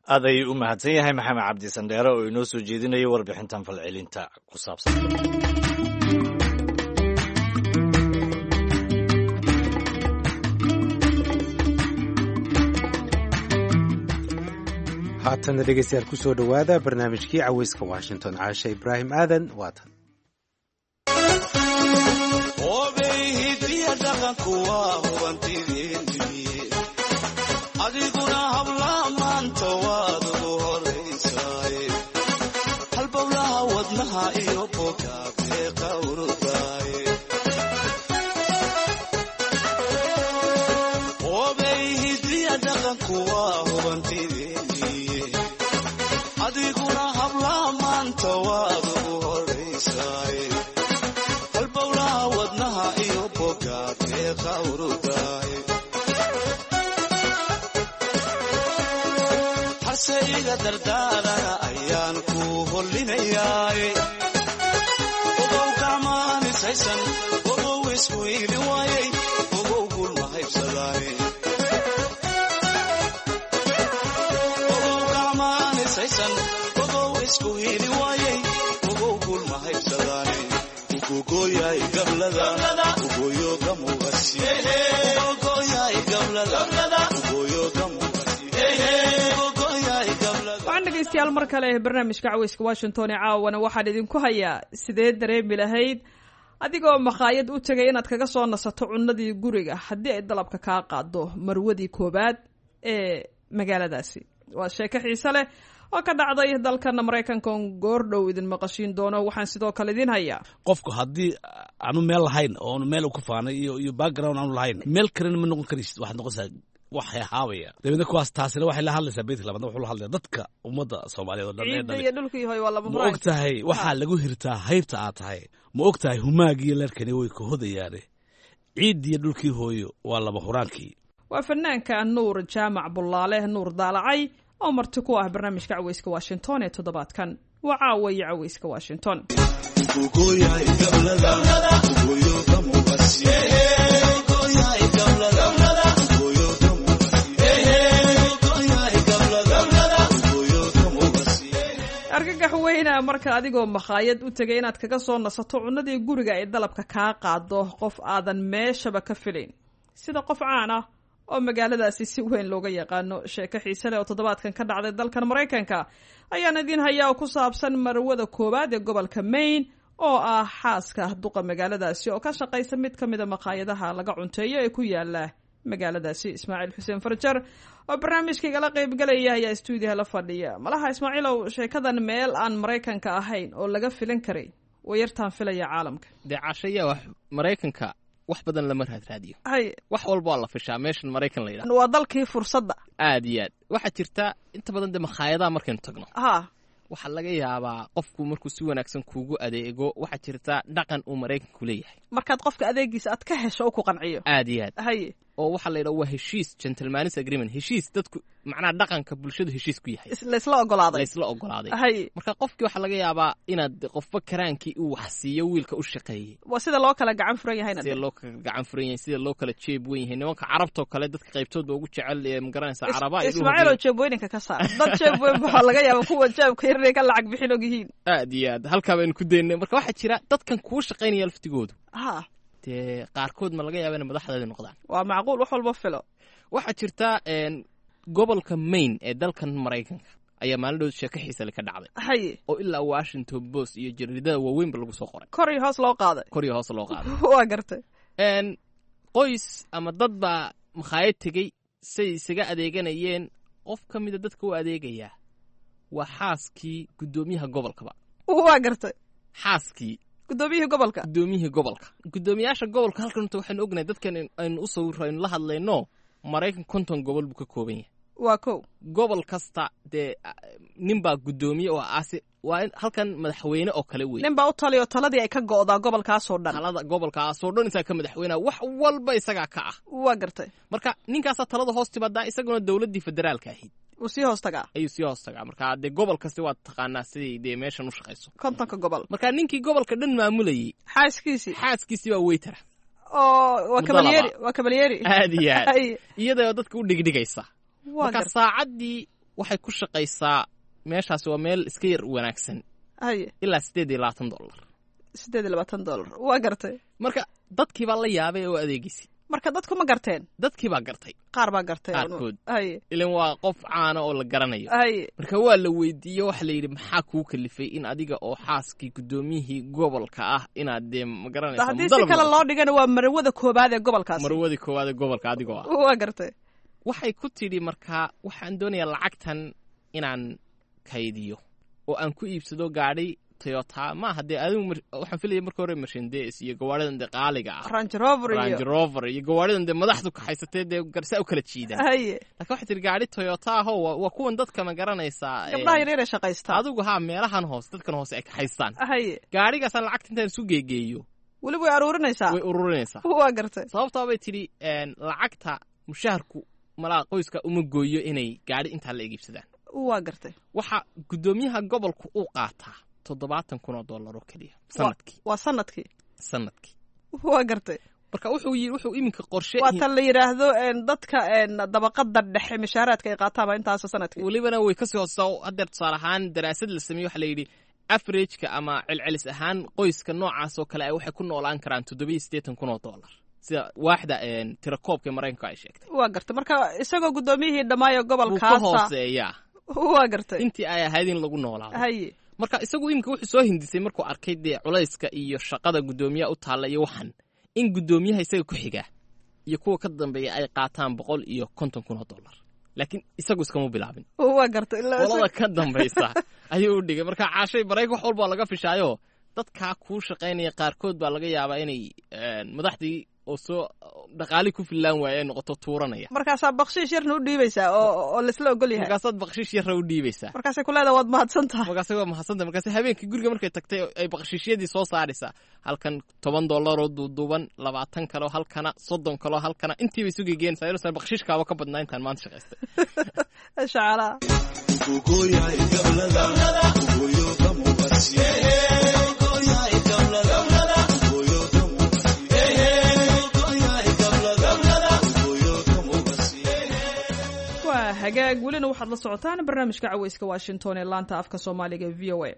Aad ayuu u mahadsan yahay Maxamed Cabdi Sandheere oo inoo soo jeedinayay warbixintan falcelinta ku saabsan. Haatana dhegeystayaal, kusoo dhowaada barnaamijkii Caweyska Washington. Caasha Ibraahim Aadan waatan. Adiguna habla maanta waad ugu horaysaay, halbowlaha wadnaha iyo bogaabee qawrudaay. Obey hidiya dhaqanku waa hubantideeniye, adiguna habla maanta waad ugu horaysaay, halbowlaha wadnaha iyo bogaabee qawrudaay. Harse iga dardaarana ayaan ku hollinayaay, ogow gacmaanisaysan, ogow isku iili waayay, ogow guul ma haybsadaane. Ogow gacmaanisaysan, ogow isku hiili waayay, ogow guul ma haybsadaane. Ugogoyaay gablada ugoyo gamugasi, ugogoyaay gablada ugoyo gamugasi. Waxaan dhegeystayaal mar kale barnaamijka Caweyska Washington ee caawana waxaan idinku hayaa: sidee dareemi lahayd adigoo makhaayad u tegay inaad kaga soo nasato cunadii guriga haddii ay dalabka kaa qaado marwadii koobaad ee magaaladaasi? Waa sheeko xiise leh oo ka dhacday dalkana Maraykanka oon goordhow idin maqashiin doono. Waxaan sidoo kale idin hayaa: Qofku haddii aanu meel lahayn oonu meel ku faanay iyo iyo background aanu lahayn, meel kalena ma noqon karaysid, waxaad noqonaysaa wax haabaya. Dabeedna kuwaas taasina waxay la hadlaysaa beydka labaadna, wuxuu la hadlayaa dadka ummadda Soomaaliyeed oo dhan ee Ciidda dhalay. iyo dhulkii hoy waa laba Ma og tahay waxaa lagu hirtaa haybta aad tahay? Ma og tahay humaagiyo leerkani way ka hodayaane? Ciiddiyo dhulkii hooyo waa laba huraankii. Waa fanaanka Nuur Jaamac Bullaale, Nuur Daalacay, oo marti ku ah barnaamijka Caweyska Washington ee toddobaadkan. Waa caawa iyo Caweyska Washington. Argagax weyna marka adigoo makhaayad u tegay inaad kaga soo nasato cunadii guriga ay dalabka kaa qaado qof aadan meeshaba ka filayn, sida qof caan ah oo magaaladaasi si weyn looga yaqaano. Sheeko xiise leh oo toddobaadkan ka dhacday dalkan Maraykanka ayaan idiin hayaa oo ku saabsan marwada koowaad ee gobolka Maine oo ah xaaska duqa magaaladaasi oo ka shaqaysa mid ka mida makhaayadaha laga cunteeyo ee ku yaala magaaladaasi. Ismaaciil Xuseen Farjar oo barnaamijka igala qaybgalaya ayaa stuudiyaha la fadhiya. Malaha Ismaaciilow, sheekadan meel aan Maraykanka ahayn oo laga filan karay way yartaan filaya caalamka. Dee caashaya wax Maraykanka wax badan lama raadraadiyo, hay wax walba waa la fishaa meeshan Maraykan la yidhahdo. Waa dalkii fursadda. Aad iyo aad waxaa jirta inta badan dee makhaayadaha markaynu tagno, ha waxaa laga yaabaa qofku markuu si wanaagsan kuugu adeego, waxaa jirta dhaqan uu Maraykanku leeyahay. Markaad qofka adeegiisa aad ka hesho oo ku qanciyo. Aad iyo aad. Hay oo waxaa la yidhaha waa heshiis, gentleman's agreement, heshiis dadku macnaha dhaqanka bulshadu heshiis ku yahay, laysla ogolaaday, laysla ogolaaday. Hay marka qofkii waxaa laga yaabaa inaad qofba karaankii uu wax siiyo wiilka u shaqeeyey. Waa sida loo kala gacan furan yahayna, sida loo kala gacan furan yahay, sida loo kala jeeb weyn yahay. Nimanka carabtoo kale dadka qaybtood ba ugu jecel ee magaranaysa caraba. Ismaaciil oo jeebweyninka ka saar dad jeeb weyn waxaa laga yaaba kuwa jeebka yar inay ka lacag bixin og yihiin. Aad iyo aad halkaa baynu ku daynay. Marka waxaa jira dadkan kuu shaqaynaya laftigoodu, ha dee qaarkood ma laga yaaba inay madaxdeeda noqdaan. Waa macquul, wax walba filo. Waxaa jirta gobolka Maine ee dalkan Maraykanka ayaa maalin dhow sheeko xiise leh ka dhacday. Haye oo ilaa Washington Post iyo jaridada waaweynba lagu soo qoray, kor iyo hoos loo qaaday, kor iyo hoos loo qaaday. Waa gartay. Qoys ama dad baa makhaayad tegey say isaga adeeganayeen. Qof ka mida dadka u adeegayaa waa xaaskii guddoomiyaha gobolkaba. Waa gartay. Xaaskii guddoomiyihii gobolka, guddoomiyihii gobolka, guddoomiyaasha gobolka. Halkan inta waxaynu ognahay dadkan aynu u sawirro aynu la hadlayno, Maraykan konton gobol buu ka kooban yahay. Waa kow. Gobol kasta dee nin baa guddoomiye oo aasi waa in halkan madaxweyne oo kale wey. Nin baa u taliyo, taladii ay ka go'daa gobolkaasoo dhan, talada gobolkaasoo dhan isagaa ka madaxweynea, wax walba isagaa ka ah. Waa gartay. Marka ninkaasaa talada hoos timaadaa, isaguna dowladdii federaalka ahayd wuu sii hoos tagaa, ayuu sii hoos tagaa. Marka dee gobol kasti waad taqaanaa siday dee meeshan u shaqayso, kontonka gobol. Marka ninkii gobolka dhan maamulayey xaaskiisii, xaaskiisii baa weytara oo waa kabalyeeri, waa kabalyeeri. Aad iyo aad iyadoo dadka u dhigdhigaysa. Marka saacaddii waxay ku shaqaysaa meeshaasi waa meel iska yar wanaagsan, haye ilaa siddeed iyo labaatan dollar, siddeed iyo labaatan dollar. Waa gartay. Marka dadkii baa la yaabay oo adeegisay. Marka dadku ma garteen? Dadkii baa gartay, qaar baa gartay qaarkood. Haye ilan waa qof caana oo la garanayo. Haye marka waa la weydiiye, waxa la yidhi maxaa kuu kalifay in adiga oo xaaskii guddoomiyihii gobolka ah inaad dee ma garanaysa. Haddii si kale loo dhigana waa marwada koowaad ee gobolkaasi, marwadii koowaad ee gobolka adigoo ah. Waa gartay. Waxay ku tidhi markaa waxaan doonayaa lacagtan inaan kaydiyo oo aan ku iibsado gaadhi Toyota. Ma hadee adigu waxaan filaya marka hore Mercedes iyo gawaaridan dee qaaliga ah, Range Rover iyo Range Rover iyo gawaaridan dee madaxdu kaxaysatay dee garsaa u kala jiidaan. Haye laakiin waxay tiri gaadhi Toyota ah oo waa kuwan dadka ma garanaysaa gabdhaha yaryar ee shaqaysta, adigu haa meelahan hoose dadkan hoose ay kaxaystaan. Haye gaadhigaasaan lacagta intaan isu geegeeyo weliba way aruurinaysaa, way ururinaysaa. Waa gartay. Sababtaa bay tidhi lacagta mushaharku malaa qoyska uma gooyo inay gaadhi intaa la iibsadaan. Waa gartay. Waxa guddoomiyaha gobolku uu qaataa toddobaatan kun oo dollar oo keliya sanadkii. Waa sanadkii, sanadkii. Waa gartay. Marka wuxuu yiri wuxuu iminka qorshe waa tan la yidhaahdo dadka dabaqada dhexe mishaaraadka ay qaataan baa intaas sanadkii. Welibana way kasii hoosesaa. Haddeer tusaale ahaan daraasad la sameeyey waxaa la yidhi averageka ama celcelis ahaan qoyska noocaas oo kale ay waxay ku noolaan karaan toddoba iyo siddeetan kun oo dollar, sida waaxda tirakoobka Maraykanka ay sheegtay. Waa gartay. Marka isagoo guddoomiyihii dhammaayo gobolkaasa wuu ka hooseeyaa. Waa gartay. Intii ay ahayd in lagu noolaado. Haye marka isagu iminka wuxuu soo hindisay markuu arkay dee culayska iyo shaqada guddoomiyaha u taalla iyo waxan in guddoomiyaha isaga ku xigaa iyo kuwa ka dambeeya ay qaataan boqol iyo konton kun oo dollar, laakiin isagu iskama bilaabin. Waa gartay. Qolada ka dambaysa ayuu u dhigay. Marka caashay Maraykan wax walbaa laga fishaayo, dadkaa kuu shaqaynaya qaarkood baa laga yaabaa inay madaxdii oo soo dhaqaali ku fillaan waaya ay noqoto tuuranaya. Markaasaa bakshiish yarna u dhiibaysaa oo oo laisla ogol yahay. Markaasaad bakshiish yarna u dhiibaysaa. Markaasay ku leedahay waad mahadsan tahay. Markaasay waa mahadsan tahay. Markaasay habeenkii guriga markay tagtay ay bakshiishyadii soo saaraysaa, halkan toban dollar oo duuduuban, labaatan kaloo halkana, soddon kaloo halkana, intiibay isu gegeenaysaa inuusan bakshiishkaaba ka badnaa intaan maanta shaqaystay. Shacalaa. Hagaag, welina waxaad la socotaan barnaamijka caweyska Washington ee laanta afka Soomaaliga e V O A.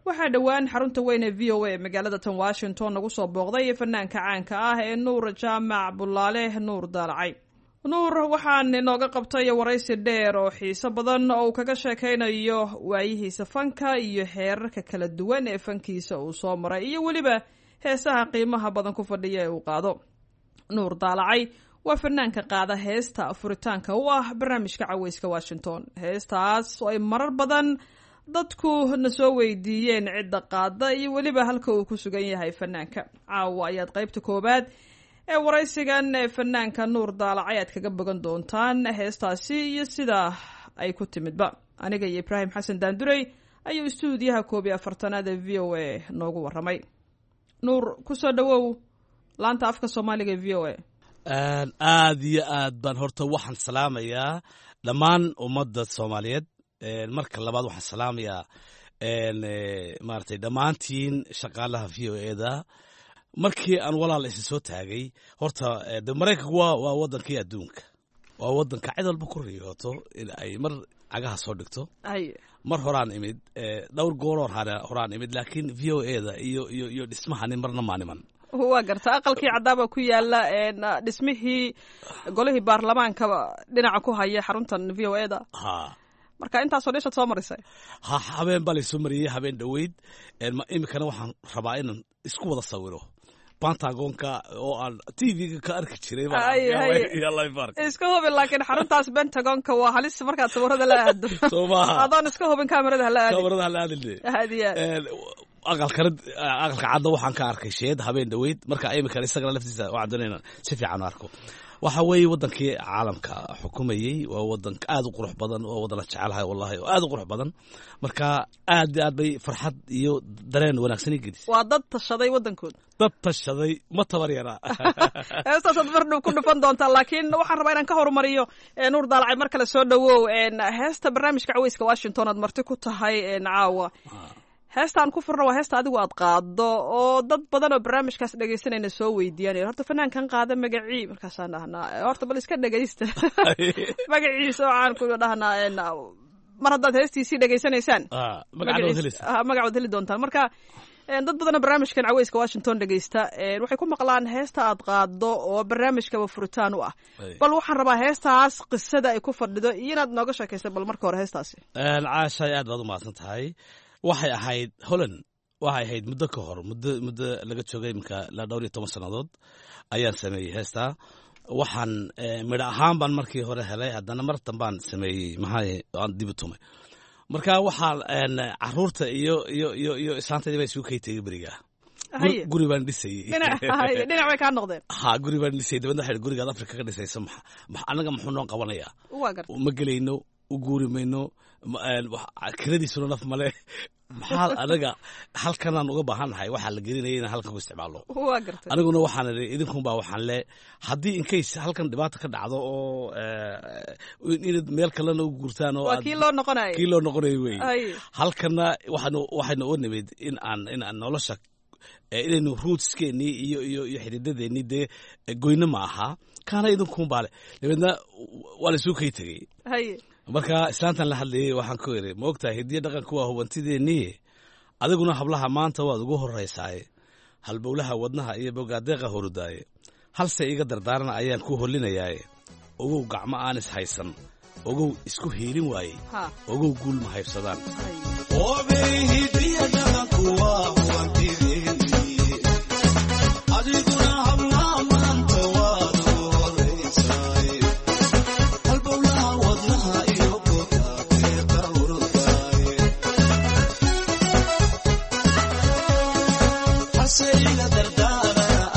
Waxaa dhowaan xarunta weyn ee V O A magaalada tan Washington nagu soo booqday fanaanka caanka ah ee Nuur Jaamac Bulaale, Nuur Daalacay. Nuur waxaan inooga qabtay waraysi dheer oo xiiso badan oo uu kaga sheekaynayo waayihiisa fanka iyo xeerarka kala duwan ee fankiisa uu soo maray iyo weliba heesaha qiimaha badan ku fadhiya ee uu qaado. Nuur Daalacay waa fanaanka qaada heesta furitaanka u ah barnaamijka caweyska Washington, heestaas oo ay marar badan dadku na soo weydiiyeen cidda qaada iyo weliba halka uu ku sugan yahay fanaanka. Caawa ayaad qaybta koowaad ee waraysigan ee fanaanka Nuur Daalacay aad kaga bogan doontaan heestaasi iyo sida ay ku timidba. Aniga iyo Ibraahim Xasan Daandurey ayuu istuudiyaha koob iyo afartanaad ee V O A noogu waramay. Nuur, kusoo dhawow laanta afka Soomaaliga ee V O A. Aad iyo aad baan horta waxaan salaamayaa dhammaan ummadda Soomaaliyeed. Marka labaad waxaan salaamayaa maaragtay dhammaantiin shaqaalaha V O A da. Markii aan walaal isi soo taagay horta, de Maraykanku waa waa waddankii adduunka, waa waddanka cid walba ku riyooto in ay mar cagaha soo dhigto. Mar horaan imid, dhowr gooroo horaan imid, laakiin V O A da iyo iyo iyo dhismahani marna maaniman. Waa garta, aqalkii caddaaba ku yaala dhismihii golihii baarlamaanka dhinaca ku haya xaruntan V O A da. Ha. Marka intaasoo dhishaad soo marisay. Ha, habeen baa laysoo mariyey habeen dhoweyd. Iminkana waxaan rabaa inaan isku wada sawiro Pentagonka oo aan T V-ga ka arki jiray. Iska hubin, laakiin xaruntaas Pentagonka waa halis markaad sawirada la aado. Soo maaha? Adoon iska hubin kaamirada hala aadin. Kaamirada hala aadin. Aad iyo aad. Aqalkana, aqalka cadda waxaan ka arkay sheed habeen dhoweyd. Marka iminkana isagana laftiisa waxaan doonayna si fiican u arko. Waxa weeye waddankii caalamka xukumayey, waa waddan aad u qurux badan, waa waddan la jecelahay wallahi, oo aad u qurux badan. Marka aad iyo aad bay farxad iyo dareen wanaagsan ii gelisay. Waa dad tashaday waddankooda. Dad tashaday, ma tabar yaraa. Heestaasaad mar dhow ku dhufan doontaa, laakiin waxaan rabaa inaan ka horumariyo. Nuur Daalacay, mar kale soo dhawow. Heesta barnaamijka caweyska Washington aad marti ku tahay caawa, heestaan ku furna waa heesta adigu aad qaado oo dad badan oo barnaamijkaas dhegaysanayna soo weydiiyanaya horta fanaankan qaada magacii. Markaasaan dhahnaa horta bal iska dhegaysta magaciisa oo caan ku dhahnaa, mar haddaad heestiisii dhegaysanaysaan magacood heli doontaan. Marka dad badanoo barnaamijkan caweyska Washington dhegaysta waxay ku maqlaan heesta aad qaado oo barnaamijkaba furitaan u ah. Bal waxaan rabaa heestaas qisada ay ku fadhido iyo inaad nooga sheekaysa bal marka hore heestaasi. Caashay, aad baad u mahadsan tahay. Waxay ahayd Holland, waxay ahayd muddo ka hor, muddo muddo laga joogay iminka ilaa dhowr iyo toban sannadood ayaan sameeyey heestaa. Waxaan midho ahaan baan markii hore helay, haddana mar dambaan sameeyey, maxaa aan dib u tumay. Marka waxaa caruurta iyo iyo iyo iyo islaantaydii baa isugu kay tegey berigaa. Guri baan dhisayey. Dhinac bay kaa noqdeen. Ha, guri baan dhisayey. Dabadna waxay gurigaad Afrika ka dhisayso maxa annaga muxuu noo qabanayaa? Ma gelayno, u guuri mayno, kiradiisuna naf male, maxaa anaga halkanaan uga baahannahay? Waxaa la gelinaya inaan halkan ku isticmaalno. Aniguna waxaan idhi idinkunbaa waxaan le haddii in case halkan dhibaata ka dhacdo oo inaad meel kalena u guurtaan oo kii loo noqonayo, kii loo noqonayo wey. Halkana waxaanu waxaynu oo nimid in aan in aan nolosha inaynu rootskeenii iyo iyo iyo xididadeennii dee goyno ma aha, kaana idinkunbaa le. Dabeedna waa la isuu kay tegey. Marka islaantan la hadlayey waxaan ku idhi, ma ogtahay hidiyo dhaqanku waa hubantideennii, adiguna hablaha maanta waad ugu horraysaaye, halbowlaha wadnaha iyo bogaadeeqa horudaaye, halse iga dardaarana ayaan ku hollinayaaye, ogow gacmo aan is haysan, ogow isku hiilin waayey, ogow guul ma haybsadaan.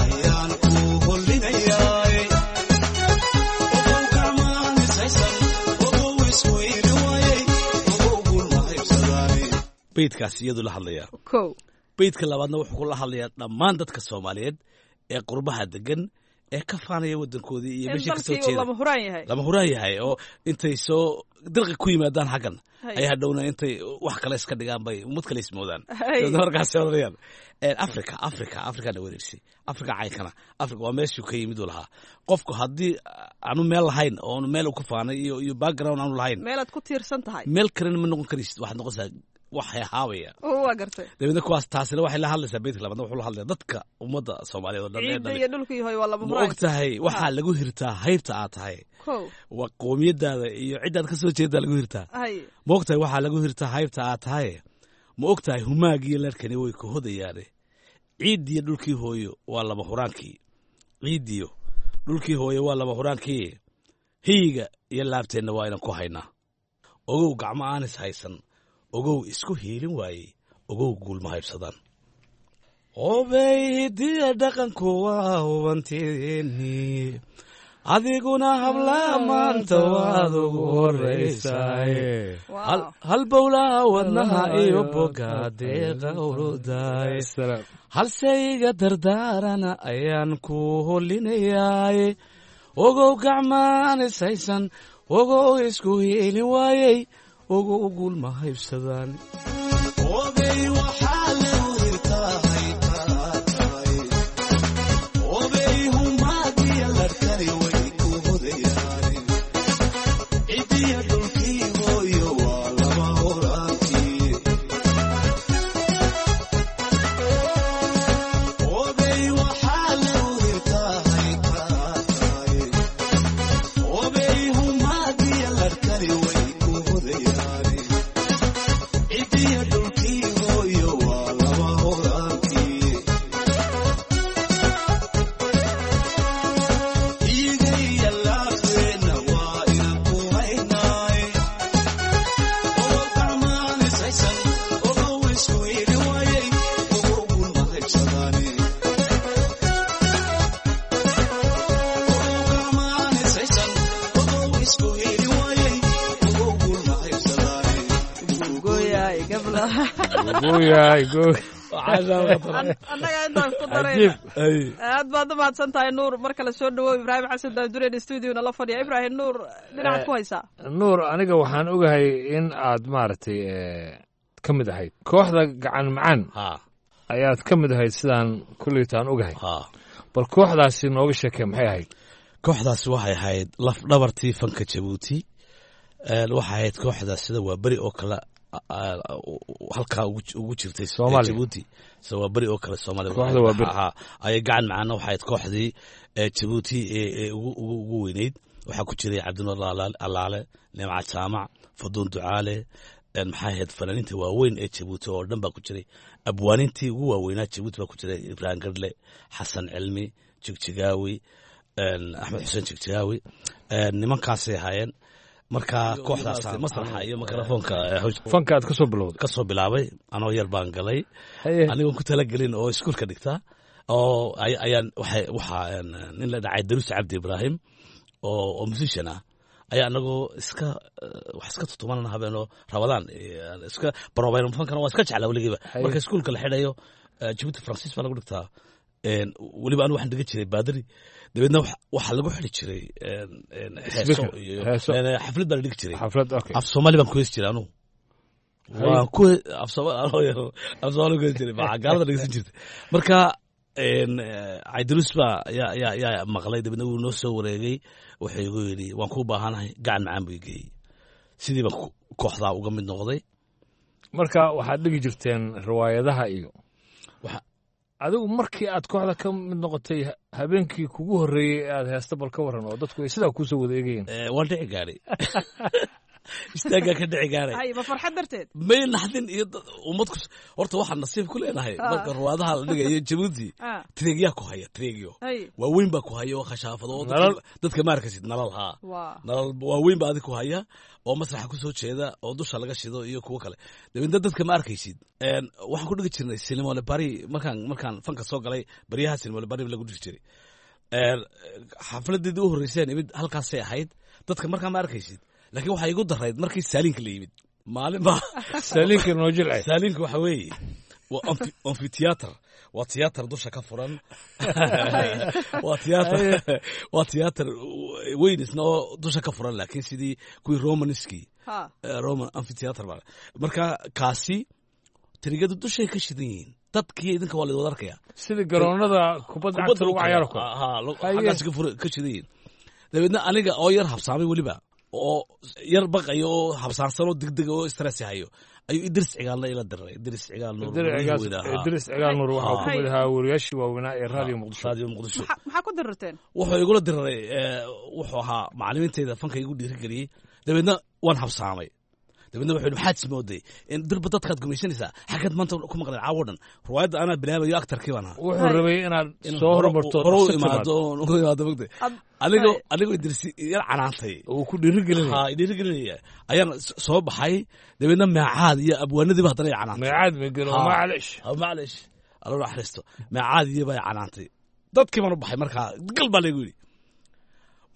Ayaan ku holinaya. Beydkaas iyadu la hadlayaa. Kow. Beydka labaadna wuxuu kula hadlayaa dhammaan dadka Soomaaliyeed ee qurbaha degan ee ka faanaya wadankoodii iyo In meeshii kasoo dalkii uu jeeda lama huraan yahay. Lama huraan yahay, oo intay soo dirqi ku yimaadaan xaggan Hay. ay hadhowna intay wax kale iska dhigaan bay ummad kale ismoodaan. Hay. Dabeedna markaas odhanayaan Africa, Africa, Africana wareegsay, Africa caynkana, Africa waa meeshuu ka yimid uu lahaa. Qofku haddii aanu meel lahayn oo aanu meel uu ka faanay iyo iyo background aanu lahayn, meelaad ku tiirsan tahay, meel kalena ma noqon karaysid, waxaad noqonaysaa wax hahaabaya. Waa gartay. Dabeedna kuwaas taasina waxay la hadlaysaa, beydka labaadna wuxuu la hadlayaa dadka ummadda Soomaaliyeed oo dhan ee ciidda dhalay. Iyo dhulkii hooy waa lama Ma huraan. og tahay waxaa lagu hirtaa haybta aad tahay? Kow. Waa qoomiyadaada iyo ciddaad ka soo jeedaa lagu hirtaa. Hay. Ma og tahay waxaa lagu hirtaa haybta aad tahay? Ma og tahay humaagiyo larkani way ku hodayaane, ciiddiyo dhulkii hooyo waa lama huraankii, ciiddiyo dhulkii hooyo waa lama huraankii, hiyiga iyo laabteenna waa inaan ku haynaa. Ogow gacmo aan is haysan, ogow isku hiilin waayey, ogow guulma haybsadaan. Obey hidiya dhaqanku waa hubantiini, adiguna habla maanta waad ugu horaysaay, halbowlaha wadnaha iyo boga deeqa urudaay, halse iga dardaarana ayaan ku holinayaay. Ogow gacmaan is haysan, ogow isku hiilin waayey, ogow guulma haybsadaan. Obey waxaa lagu hirtaa haybtaa tahay. Obey humaagiya larkani way ku hodayaane, cidiya dhulkii hooyo waa lama huraankii. Obey waxaa lagu hirtaa haybtaa tahay. Obey humaagiya larkani way ku hodayaane, cidiya dhulkii hooyo waa lama huraankii. Igaya laabteenna waa inaan ku haynaay. Ogow gacmaan is haysan, ogow isku hili waayey, ogow gulma haybsadaane. Ogow gacmaan is haysan, ogow isku hili waayey, ogow gulma haybsadaane. Gooyaay gabla. Gooyaay gooy. Annaga intaas ku darayna. Aad baad u mahadsan tahay, Nuur. Mar kale soo dhawow. Ibraahim Xasan Daanduren studiona la fadhiya. Ibraahim, Nuur dhinacaad ku haysaa. Nuur, aniga waxaan ogahay in aad maaragtay eh, ka mid ahayd kooxda Gacan Macaan ayaad ka mid ahayd, sidaan kulleytaan ogahay. Bal kooxdaasi nooga sheekee, maxay ahayd? Kooxdaasi waxay ahayd laf dhabartii fanka Jabuuti. Een, waxay ahayd kooxda sida waa beri oo kale a- a- halkaa ugu ugu jirtay Soomaaliya. Jabuuti, sida waa beri oo kale Soomaaliya. Kooxda waa beri. Ha, ayay Gacan Macaana waxay ahayd kooxdii ee Jabuuti ee ee ugu ugu ugu weyneyd. Waxaa ku jiray Cabdinuur Alaale, Alaale Nimca Jaamac, Faduun Ducaale, een, maxay ahayd, fanaaniinta waaweyn ee Jabuuti oo dhan baa ku jiray. Abwaanintii ugu waaweynaa Jabuuti baa ku jiray: Ibraahim Gadle, Xasan Cilmi Jigjigaawi, een, Axmed Xuseen Jigjigaawi. Een, nimankaasay ahaayeen. Marka kooxdaas masraxa iyo mikrofoonka fanka aad kasoo bilowday? Kasoo bilaabay anoo yar baan galay, anigoon ku talagelin oo iskuulka dhigta oo ay- ayaan waxay waxaa een, nin la dhacay Daruus Cabdi Ibraahim oo oo musician ah ayaa anagoo iska eh, wax iska tutumanana habeenoo Rabadaan eh, iska barobayno. Fankana waa iska jeclaa weligiiba. Haye. Marka iskuulka la xidhayo, eh, Jabuuti Faransiis baa lagu dhigtaa. Een, weliba anigu waxaan dhigan jiray baadari. Dabeedna wax- waxaa lagu xidhi jiray een, een, heeso Speaker, iyo heeso. een, xaflad baa la dhigi jiray. Xaflad, okay. Af Soomaali baan ku heesi jiray anugu. Haye. Waan ku af Soomaali anoo yar af Soomaali ku heesi jiray, baa gaalada dhegeysan jirtay. Marka een, eh, Cabdiruus baa yaa yaa yaa maqlay. Dabeedna wuu noo soo wareegay, wuxuu igu yidhi waan kuu baahanahay. Gacan Macaan buu i geeyey, sidii baan ku- kooxdaa uga mid noqday. Marka waxaad dhigi jirteen riwaayadaha iyo adigu markii aad kooxda ka mid noqotay, habeenkii kugu horreeyey ee aad heesta, bal ka warran oo dadku ay sidaa kuusoo wada eegayeen. Eh, waan dhici gaaray, istaaggaa ka dhici gaaray. Hay, ma farxad darteed? May, naxdin iyo dad- ummad ku horta waxaan nasiib ku leenahay Ah. marka ruwaadaha la dhigayo Jabuuti, Ah. tireegyaa ku haya, tireegyo Hay. waaweyn baa ku haya oo khashaafado oo dadka- Nalal. dadka ma arkasid nalal haa. Waa. Nalal waaweyn baa adig ku haya oo masraxa ku soo jeeda oo dusha laga shido iyo kuwo kale. Dabeedna dadka ma arkaysid. Een, waxaan ku dhigi jirnay Sinimole Bari. Markaan markaan fanka soo galay, baryaha Sinimole Bari lagu dhigi jiray. Een, xafladeedii u horreyseen imid halkaasay ahayd. Dadka markaa ma arkaysid, laakiin waxaa igu darayd markii saaliinka la yimid. Maalin baa Saaliinka noo jilcay. Saaliinka waxa weeye waa amphitheater, waa tiyaatar dusha ka furan, waa tiyaatar waa tiyaatar weyn isna oo dusha ka furan, laakiin sidii kuwii Romanskii, Roman amphitheater baa. Marka kaasi tirigadu dushay ka shidan yihiin, dadkii idinka waa laydwada arkaya. Sida garoonada kubadda cagta lagu cayaaro karo. Xaggaas ka shidan yihiin. Dabeedna aniga oo yar habsaamay weliba, oo yar baqayo oo habsaansan oo degdeg oo stress hayo, ayuu Idris Cigaalna ila diray. Idris Cigaal Nuur. Idris Cigaal Nuur waxaa ku mid ahaa wariyaashii waaweynaa ee Raadiyo Muqdisho. Raadiyo Muqdisho. Maxaa ku dirirteen? Wuxuu igula diriray, wuxuu ahaa macallimiintayda fanka igu dhiirigeliyey. Dabeedna waan habsaamay. Dabeedna wuxuu yidhi, maxaad ismooday in dirba dadkaad gumaysanaysaa? Xaggeed maanta ku maqleen caawo dhan? Riwaayadda anaa bilaabayo, aktarkii baan ahaa. Wuxuu rabay inaad soo hormarto. Hore u imaado oon ugu imaado mogtay. Anigoo anigoo Idris yar canaantay, uu ku dhiirigelinaya, ha, dhiirigelinaya, ayaan soo baxay. Dabeedna Meecaad iyo abwaanadiiba haddana i canaantay. Meecaad magelo, maclish. Maclish, Alla naxariisto, Meecaad iyo baa i canaantay. Dadkii baan u baxay, markaa gal baa laygu yidhi.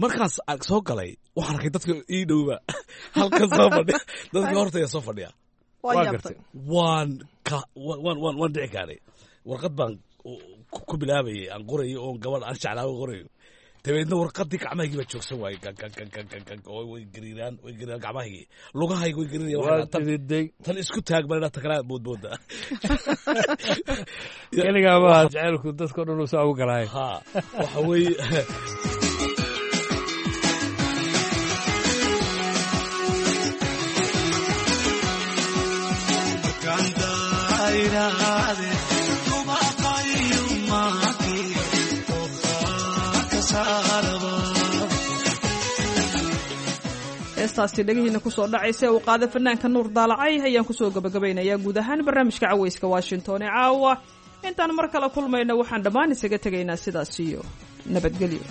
Markaan soo galay waxaan arkay dadka ii dhowba halkan soo fadhiya, dadka hortaya soo fadhiya. Waan ka waan waan waan dhici gaaray. Warqad baan ku bilaabayay aan qorayo, oon gabadh aan jeclaago qorayo. Dabeedna warqadii gacmahaygii baa joogsan waayey, oo way gariiraan, way gariiraan gacmahaygii, lugahayga way gariirayaan. Tan isku taag baan idhaa, ta kalaa boodbooda. Keligaa baa jacaylku dadka o dhan uu saa ugu galaay. Ha, waxa weeye. Heestaasi dhegihiina kusoo dhacaysa ee uu qaada fanaanka Nuur Daalacay ayaan kusoo gabagabaynayaa guud ahaan barnaamijka Caweyska Washington ee caawa. Intaan mar kale kulmayna waxaan dhammaan isaga tegaynaa sidaas iyo nabadgelyo.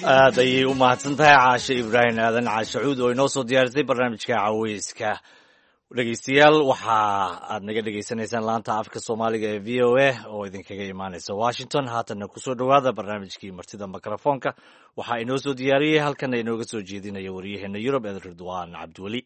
Aad ayay u mahadsan tahay Caashe Ibraahim Aadan Caashacuud oo inoo soo diyaarisay barnaamijka caweyska. Dhegeystayaal, waxa aad naga dhegeysanaysaan laanta afka Soomaaliga ee V O A oo idinkaga imaaneysa Washington. Haatanna kusoo dhowaada barnaamijkii martida mikrofoonka. Waxaa inoo soo diyaariyey, halkana inooga soo jeedinaya waryaheena Yurub ee Ridwaan Cabdiweli.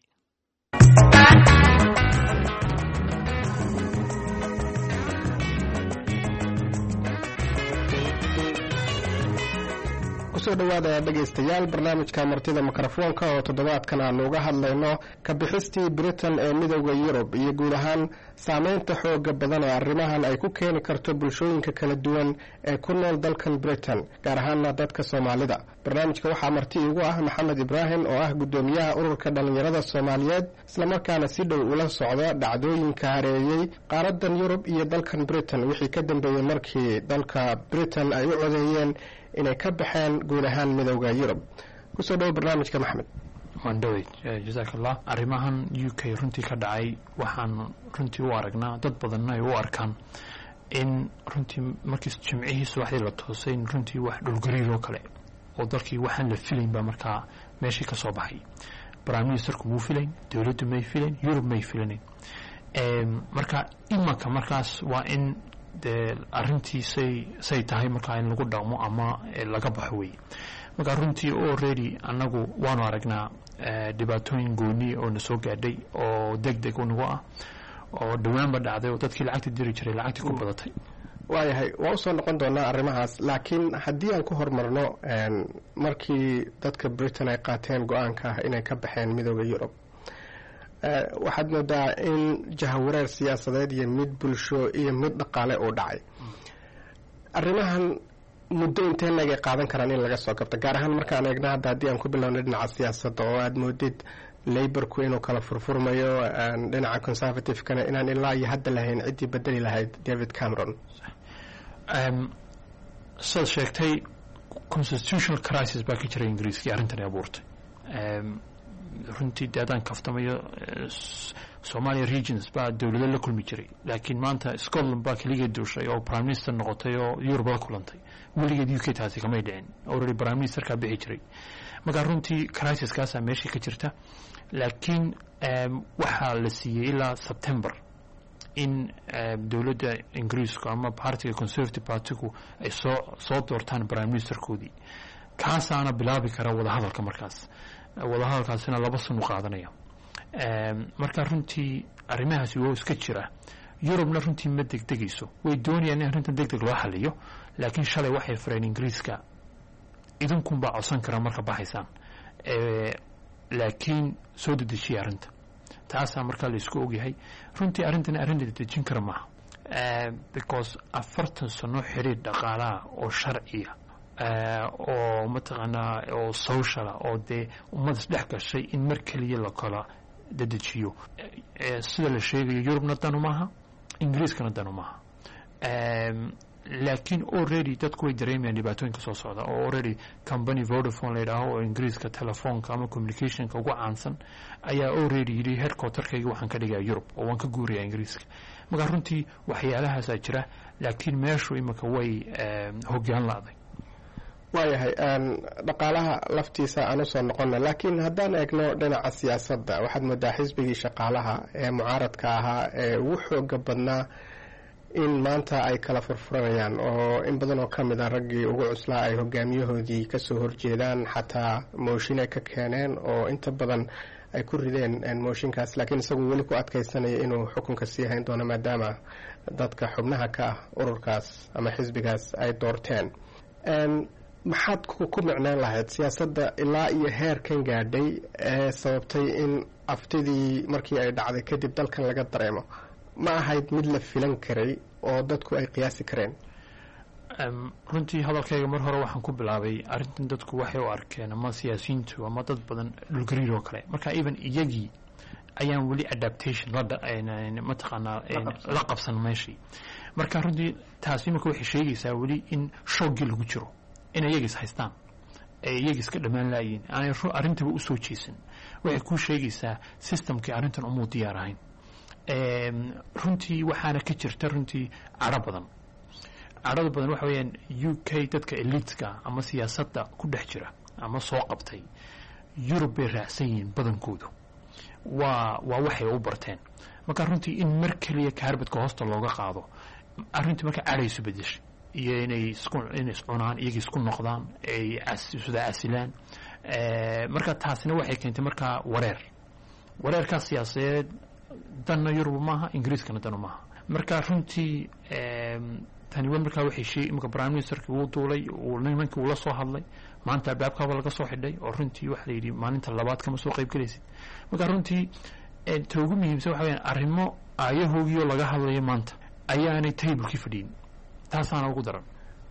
Kusoo dhowaada dhegaystayaal barnaamijka martida mikrofoonka oo toddobaadkan aanu uga hadlayno ka bixistii Britain ee Midowda Yurub iyo guud ahaan saameynta xooga badan ee arrimahan ay ku keeni karto bulshooyinka kala duwan ee ku nool dalkan Britain, gaar ahaana dadka Soomaalida. Barnaamijka waxaa marti iigu ah Maxamed Ibraahim oo ah guddoomiyaha ururka dhallinyarada Soomaaliyeed, islamarkaana si dhow ula socda dhacdooyinka hareeyey qaaradan Yurub iyo dalkan Britain wixii ka dambeeyey markii dalka Britain ay u codeeyeen inay ka baxeen guud ahaan Midowda Yurub. Kusoo dhowo barnaamijka, Maxamed. Waan dhowey, jazaak Allah. Arrimahan U K runtii ka dhacay waxaan runtii u aragnaa, dad badanna ay u arkaan, in runtii markii Jimcihii subaxdii la toosay in runtii wax dhulgariir oo kale oo dalkii waxaan la filayn baa markaa meeshii ka soo baxay. Prime ministerku muu filayn, dowladdu may filayn, Yurub may filanayn. Marka imanka markaas waa in dee arrintii say say tahay markaa in lagu dhaqmo ama laga baxo wey. Marka runtii already annagu waanu aragnaa dhibaatooyin gooni oo na soo gaadhay oo deg deg unagu ah oo dhowaanba dhacday oo dadkii lacagta diri jiray lacagtii ku badatay. Waayahay, waa usoo noqon doonaa arrimahaas, laakiin haddii aan ku horumarno markii dadka Britain ay qaateen go-aanka ah inay ka baxeen Midowda Yurub, waxaad moodaa in jahawareer siyaasadeed iyo mid bulsho iyo mid dhaqaale uu dhacay. Arrimahan muddo intee leeg ay qaadan karaan in laga soo kabto, gaar ahaan markaan eegno hadda haddii aan ku bilowno dhinaca siyaasadda oo aada moodid Labourku inuu kala furfurmayo, dhinaca Conservative-kana inaan ilaa iyo hadda lahayn ciddii bedeli lahayd David Cameron? Sidaad sheegtay, constitutional crisis baa ka jiray Ingiriiskii arrintani abuurtay. Runtii dee haddaan kaftamayo, Somalia regions baa dowlado la kulmi jiray, laakiin maanta Scotland baa keligeed duushay oo prime minister noqotay oo Yurub la kulantay. Weligeed U K taasi kamay dhicin, already prime ministerkaa bixi jiray. Marka runtii crisiskaasaa meeshii ka jirta, laakiin waxaa la siiyey ilaa September in dowladda Ingiriisku ama partiga Conservative Partygu ay soo soo doortaan prime ministerkoodii, kaasaana bilaabi kara wadahadalka. Markaas wadahadalkaasina laba sano qaadanaya. Marka runtii arrimahaasi waa iska jira. Yurubna runtii ma degdegayso, way doonayaan in arrintan deg deg loo xaliyo, laakiin shalay waxay fureen Ingiriiska: idinkunbaa codsan kara marka baxaysaan, laakiin soo dedejiya arrinta. Taasaa markaa la isku ogyahay. Runtii arrintan arrin la dedejin kara maaha, because afartan sano xiriir dhaqaalaha oo sharciya oo mataqaanaa oo sociala oo dee ummad isdhex gashay in mar keliya la kala dedejiyo, sida la sheegayo, Yurubna danu maaha, Ingiriiskana danu maaha. Laakiin already dadku way dareemayaan dhibaatooyinka soo socda oo already company Vodafone la yidhaaho oo Ingiriiska telefoonka ama communicationka ugu caansan ayaa already yidhi headquarterkayga waxaan ka dhigayaa Yurub oo waan ka guurayaa Ingiriiska. Marka runtii waxyaalahaasaa jira, laakiin meeshu imika way hoggaan la'day. Waayahay, dhaqaalaha laftiisa aan usoo noqona, laakiin haddaan eegno dhinaca siyaasadda, waxaad moodaa xisbigii shaqaalaha ee mucaaradka ahaa ee ugu xooga badnaa in maanta ay kala furfuranayaan oo in badan oo ka mid a raggii ugu cuslaa ay hogaamiyahoodii kasoo horjeedaan, xataa mooshin ay ka keeneen oo inta badan ay ku rideen mooshinkaas, laakiin isagu weli ku adkaysanaya inuu xukunka sii hayn doono maadaama dadka xubnaha ka ah ururkaas ama xisbigaas ay doorteen. Maxaad ku micnaan lahayd siyaasadda ilaa iyo heerkan gaadhay ee sababtay in aftidii markii ay dhacday kadib dalkan laga dareemo? Ma ahayd mid la filan karay oo dadku ay qiyaasi kareen? Runtii hadalkayga mar hore waxaan ku bilaabay arrintan dadku waxay u arkeen ama siyaasiyiintu ama dad badan dhulgariir oo kale. Marka even iyagii ayaan weli adaptation mataqaanaa la qabsan meeshii. Marka runtii taasi imika waxay sheegaysaa weli in shooggii lagu jiro, in iyaga is haystaan ee iyaga iska dhammaan laayiin, aanay arrintaba usoo jeesan. Waxay kuu sheegaysaa systemkii arrintan umuu diyaar ahayn runtii. Waxaana ka jirta runtii cadho badan. Cadhada badan waxa weeyaan U K dadka eliteska ama siyaasadda ku dhex jira ama soo qabtay Yurub bay raacsan yihiin badankoodu, waa waa waxay u barteen. Marka runtii in mar keliya carpetka hoosta looga qaado arrintii, marka cadhaysu bedeshay iyo inay isku inay iscunaan, iyaga isku noqdaan, ay isuda casilaan. Marka taasina waxay keentay markaa wareer, wareerkaas siyaasadeed danna Yurub maaha, Ingiriiskana danu maaha. Marka runtii tani wa markaa waxay sheeg imika prime ministerkii wuu duulay, uu nimankii uu la soo hadlay. Maanta albaabkaaba laga soo xidhay oo runtii waxaa la yidhi maalinta labaad kama soo qayb gelaysid. Marka runtii ta ugu muhiimsan waxa weyaan arrimo aayahoogii oo laga hadlayo maanta ayaanay tablekii fadhiyin, taasaana ugu daran.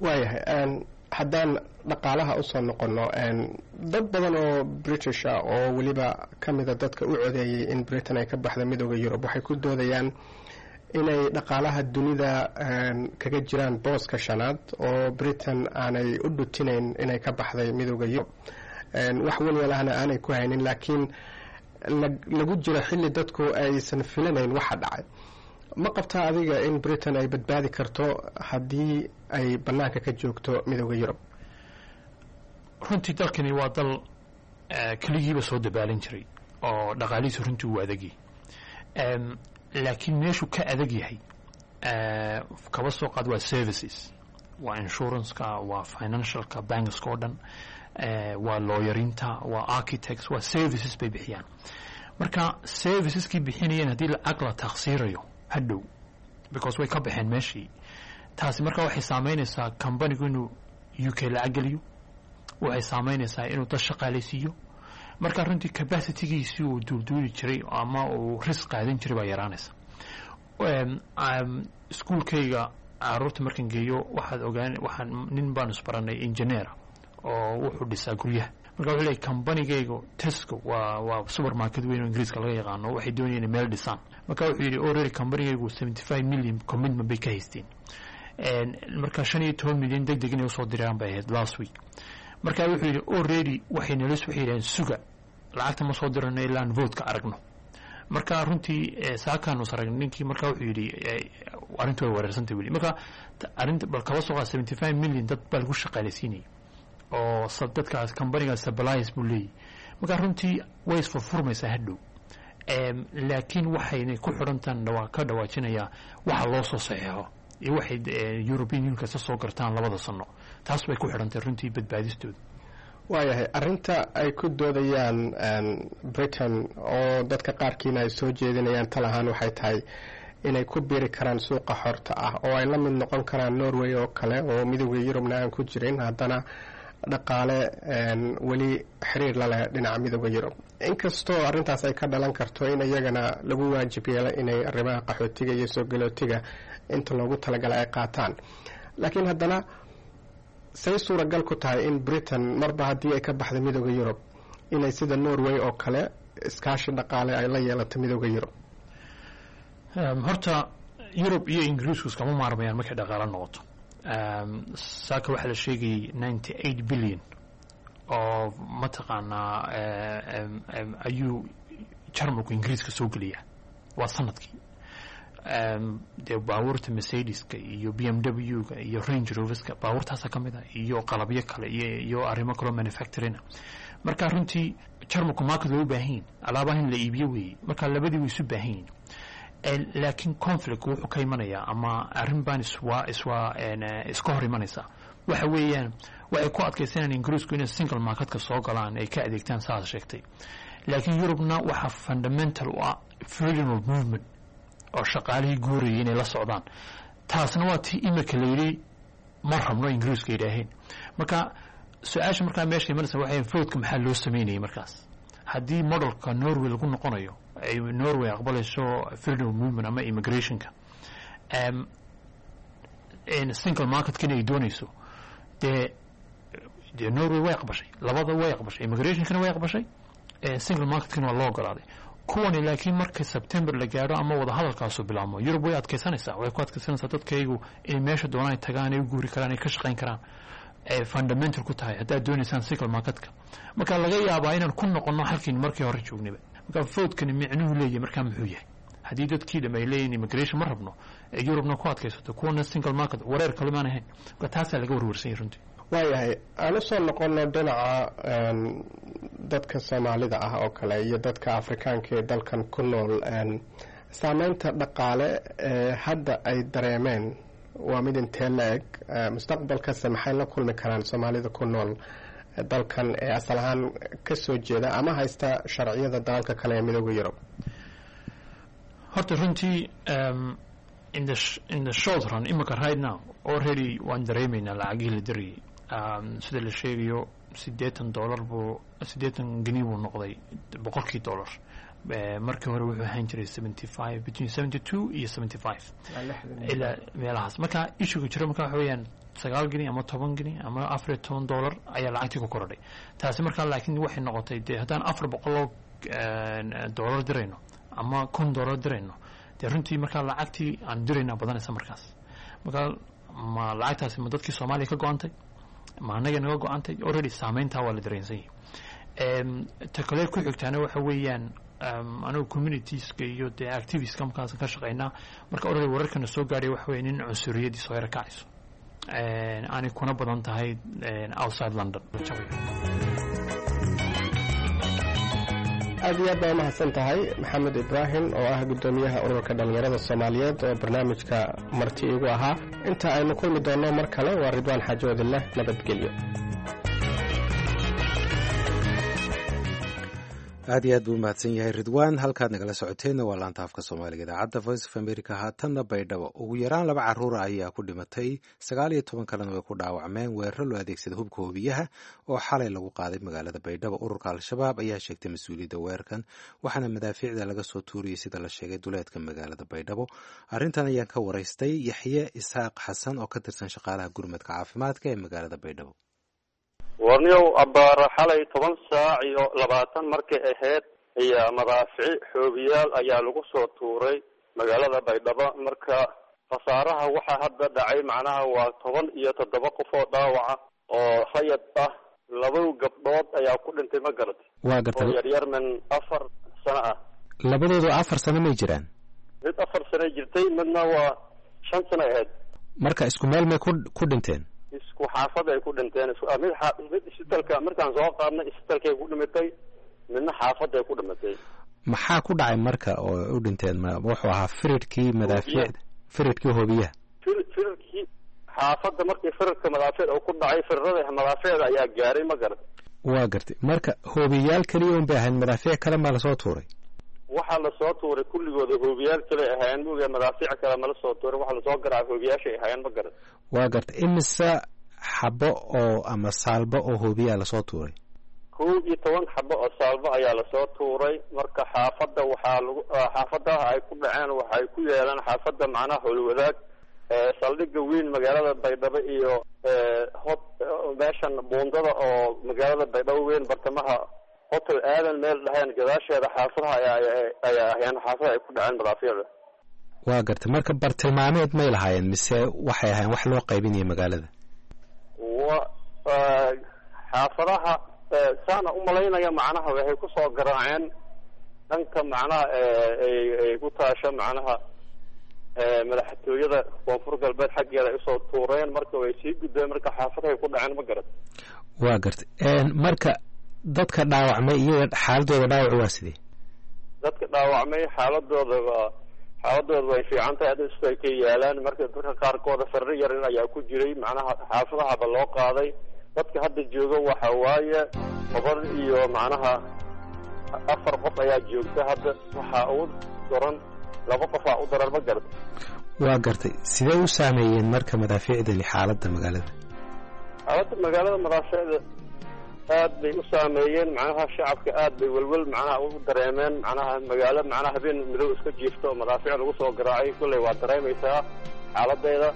Waayahay, haddaan dhaqaalaha usoo noqono, dad badan oo British ah oo weliba ka mida dadka u codeeyey in Britain ay ka baxda Midooda Yurub waxay ku doodayaan inay dhaqaalaha dunida kaga jiraan booska shanaad oo Britain aanay u dhutinayn inay ka baxday Midooda Yurub, wax walwalahna aanay ku haynin, laakiin lagu jiro xilli dadku aysan filanayn waxa dhacay. Ma qabtaa adiga in Britain ay badbaadi karto haddii ay bannaanka ka joogto Midooda Yurub? Runtii dalkani waa dal keligiiba soo dabaalin jiray oo dhaqaalihiisu runtii uu adagyahay, laakiin meeshuu ka adag yahay kaba soo qaad waa services, waa insuranceka, waa financialka, bankska oo dhan, waa lawyerinta, waa architects, waa services bay bixiyaan. Marka serviceskii bixinayeen haddii lacag la taksiirayo hadhow because way ka baxeen meeshii, taasi marka waxay saameynaysaa companygu inuu U K lacag geliyo, waxay saameynaysaa inuu dad shaqaalaysiiyo. Marka runtii capacitygiisii uu duulduuli jiray ama uu risk qaadan jiray baa yaraanaysa. Iskuulkayga caruurta markaan geeyo waxaad ogaan, waxaan nin baan isbaranay engineer oo wuxuu dhisaa guryaha. Marka wuxuu leeyahy companygaygu Tesco waa waa supermarket weyn oo Ingiriiska laga yaqaano, waxay doonayeen inay meel dhisaan. Marka wuxuu yidhi already companygaygu seventy five million commitment bay ka haysteen, marka shan iyo toban milyan deg deg inay usoo diraan bay ahayd last week. Marka wuxuu yidhi already waxay nalas waxay yidhaheen suga, lacagta ma soo dirano ilaa aan vote-ka aragno. Marka runtii saakaanu saragn ninkii, marka wuxuu yidhi arrintu way wareersantay weli. Marka arrinta bal kaba soo qaad seventy five million dad baa lagu shaqaalaysiinayay oo dadkaas companygaas supplies buu leeyahy. Marka runtii way isfurfurmaysaa hadhow, laakiin waxaynay ku xidhantaan dhawaa ka dhawaajinayaa waxa loo soo saxeexo iyo waxay European Union kasta soo gartaan labada sano, taas bay ku xidhantay runtii badbaadistooda. Waayahay, arrinta ay ku doodayaan Britain oo dadka qaarkiina ay soo jeedinayaan tal ahaan waxay tahay inay ku biiri karaan suuqa xorta ah oo ay la mid noqon karaan Norway oo kale oo Midooda Yurubna aan ku jirin, haddana dhaqaale weli xiriir la leh dhinaca Midooda Yurub, inkastoo arrintaas ay ka dhalan karto in iyagana lagu waajib yeelo inay arrimaha qaxootiga iyo soo galootiga inta loogu talagalay ay qaataan. Laakiin haddana say suuragal ku tahay in Britain marba haddii ay ka baxda Midooda Yurub inay sida Norway oo kale iskaashi dhaqaale ay la yeelato Midooda Yurub? Horta Yurub iyo Ingiriisku iskama maarmayaan markay dhaqaalo noqoto. Saaka waxaa la sheegayay ninety eight billion oo mataqaanaa ayuu Jarmalku Ingiriiska soo geliyaa, waa sanadkii. Dee baabuurta Mercedeska iyo B M W-ga iyo Range Roverska baabuurtaasa ka mid ah iyo qalabyo kale iyo iyo arrimo kaloo manufacturing. Marka runtii Jarmalku market way u baahan yihin, alaabaha in la iibiyo weeye. Marka labadii way isu baahan yihin, laakiin conflict wuxuu ka imanayaa ama arrin baan iswaa iswaa iska hor imanaysaa waxa weeyaan waxay ku adkaysanayaan Ingiriisku inay single marketka soo galaan, ay ka adeegtaan saas sheegtay, laakiin Yurubna waxaa fundamental u ah freedom of movement oo shaqaalihii guurayay inay la socdaan. Taasna waa tii imika la yidhi ma rabno Ingiriisku yidhaaheen. Marka su-aasha markaa meesha imanaysa waxay vote-ka maxaa loo sameynayay markaas haddii modelka Norway lagu noqonayo, ay Norway aqbalayso freedom of movement ama immigrationka, single marketkina ay doonayso. Dee dee Norway way aqbashay, labada way aqbashay, immigrationkana way aqbashay, single marketkina waa loo ogolaaday kuwani. Laakiin marka September la gaadho ama wadahadalkaasu bilaabmo, Yurub way adkaysanaysaa, way ku adkaysanaysaa dadkaygu inay meesha doonaan ay tagaan, ay u guuri karaan, ay ka shaqayn karaan, ay fundamental ku tahay haddaad doonaysaan single marketka. Marka laga yaabaa inaan ku noqono halkiin markii hore joognayba. Marka vote-kani micnuhu leeyahay markaa muxuu yahay Haddii dadkii dham ay leeyihin immigration ma rabno, ee Yurubna ku adkaysato, kuwana single market, wareer kale maan ahayn. Marka taasaa laga warwarsan yahay runtii. Waayahay, aan usoo noqono dhinaca dadka Soomaalida ah oo kale iyo dadka Afrikaanka ee dalkan ku nool. Saameynta dhaqaale ee hadda ay dareemeen waa mid intee la eg? Mustaqbalkase maxay la kulmi karaan Soomaalida ku nool dalkan ee asal ahaan ka soo jeeda ama haysta sharciyada dalalka kale ee Midooda Yurub? Horta runtii in the in the short run, imika right now already waan dareemaynaa lacagihii la dirayay. Sida la sheegayo, siddeetan dollar buu, siddeetan geni buu noqday boqolkii dollar. Markii hore wuxuu ahaan jiray seventy five, between seventy two iyo seventy five ilaa meelahaas. Marka issuega jiro marka waxa weeyaan sagaal geni ama toban geni ama afar iyo toban dollar ayaa lacagtii ku korodhay taasi. Markaa laakiin waxay noqotay dee haddaan afar boqoloo dollar dirayno ama kun dollar dirayno, dee runtii markaa lacagtii aan diraynaa badanaysa markaas. Marka ma lacagtaasi ma dadkii Soomaaliya ka go-antay, ma annaga naga go-antay? Already saameyntaa waa la dareensan yahay. Ta kale ku xigtaana waxa weeyaan anigu communitieska iyo dee activistka markaas ka shaqeynaa. Marka already wararkana soo gaadhay waxa weeye nin cunsuriyadii soo yara kacayso, aanay kuna badan tahay outside London. Aad iyo aad baa umahadsan tahay, Maxamed Ibraahim, oo ah guddoomiyaha ururka dhallinyarada Soomaaliyeed oo barnaamijka marti igu ahaa. Inta aynu kulmi doonno mar kale, waa Ridwaan Xaajoodileh, nabadgelyo. Aad iyo aad buu umahadsan yahay Ridwaan. Halkaad nagala socoteenna waa laanta afka Soomaaliga idaacadda Voice of America. Haatanna Baydhabo. Ugu yaraan laba caruura ayaa ku dhimatay, sagaal iyo toban kalena way ku dhaawacmeen weeraro loo adeegsada hubka hubiyaha oo xalay lagu qaaday magaalada Baydhabo. Ururka Al-Shabaab ayaa sheegtay mas-uuliyadda weerarkan, waxaana madaafiicda laga soo tuuriyey, sida la sheegay, duleedka magaalada Baydhabo. Arrintan ayaan ka waraystay Yaxye Isxaaq Xasan oo ka tirsan shaqaalaha gurmadka caafimaadka ee magaalada Baydhabo. Warniyow, abbaara xalay toban saac iyo labaatan markay ahayd ayaa madaafici xoogiyaal ayaa lagu soo tuuray magaalada Baydhabo. Marka khasaaraha waxaa hadda dhacay macnaha waa toban iyo toddoba qof oo dhaawaca oo rayad ah. Laba gabdhood ayaa ku dhintay, ma garat? Waa gartay. Oo yaryarman, afar sano ah. Labadoodu afar sano may jiraan? Mid afar sano jirtay, midna waa shan sano ahayd. Marka isku meel may ku ku dhinteen? Isku xaafad ay ku dhinteen. Mid mid isbitalka markaan soo qaadnay isbitalkay ku dhimatay, midna xaafadday ku dhimatay. Maxaa ku dhacay marka oo u dhinteen? Ma wuxuu ahaa firidkii madaafiicda, firidkii hoobiyaha? Fir firirkii xaafadda markii firirka madaafiic uu ku dhacay, firarada madaafiicda ayaa gaaray, ma garat? Waa gartay. Marka hoobiyaal keliya un bay ahayn, madaafiic kale maa lasoo tuuray? Waxaa lasoo tuuray kulligooda hoobiyaal kale ahaayeen muga, madaafiic kale mala soo tuuray. Waxaa lasoo garaacay hoobiyaashay ahaayeen, ma garat? Waa gartay. Imise xabo oo ama saalbo oo hoobiyaa lasoo tuuray? Kow iyo toban xabo oo saalbo ayaa lasoo tuuray. Marka xaafadda waxaa lagu, xaafadaha ay ku dhaceen waxay ku yeeleen xaafadda macnaha Howlwadaag, saldhigga weyn magaalada Baydhabo iyo hot meeshan buundada oo magaalada Baydhabo weyn bartamaha Hotel Aadan meel dhaheen gadaasheeda, xaafadaha ayaa ayaa ahayn xaafadaha ay ku dhaceen madaafiicda. Waa gartay. Marka bartilmaameed may lahaayeen mise waxay ahayn wax loo qaybinaya magaalada? Wa xaafadaha saana umalaynaya macnaha waxay kusoo garaaceen dhanka macnaha ay ay ku taasho macnaha madaxtooyada Koonfur Galbeed xaggeeda ay usoo tuureen. Marka way sii gudbeen, marka xaafadahay ku dhaceen, ma garat? Waa gartay. Marka dadka dhaawacmay iyaga xaaladooda dhaawac waa sidee? Dadka dhaawacmay xaaladooda waa xaaladooda way fiican tahay, hadda isbitaalkay yaalaan. Marka dadka qaarkooda farri yarin ayaa ku jiray, macnaha xaafadahaba loo qaaday. Dadka hadda jooga waxa waaye toban iyo macnaha afar qof ayaa joogta hadda. Waxaa ugu daran laba qofaa u daran, ma garat? Waa gartay. Sidee u saameeyeen marka madaafiicdani xaaladda magaalada? Xaaladda magaalada madaafiicda aad bay u saameeyeen. Macnaha shacabka aad bay welwel macnaha u dareemeen. Macnaha magaalo macnaha habeen midow iska jiifto oo madaafiic lagu soo garaacay, kulley waa dareemaysaa xaaladeeda.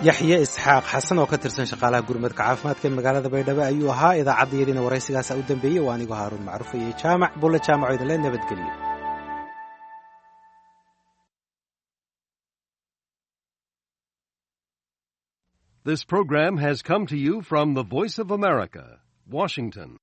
Yaxye Isxaaq Xasan oo ka tirsan shaqaalaha gurmadka caafimaadka ee magaalada Baydhabo ayuu ahaa. Idaacaddayadiina waraysigaasa u dambeeyey. Waa anigoo Haaruun Macruuf iyo Jaamac Bulle Jaamaco idinle nabadgeliyo. This program has come to you from the Voice of America, Washington.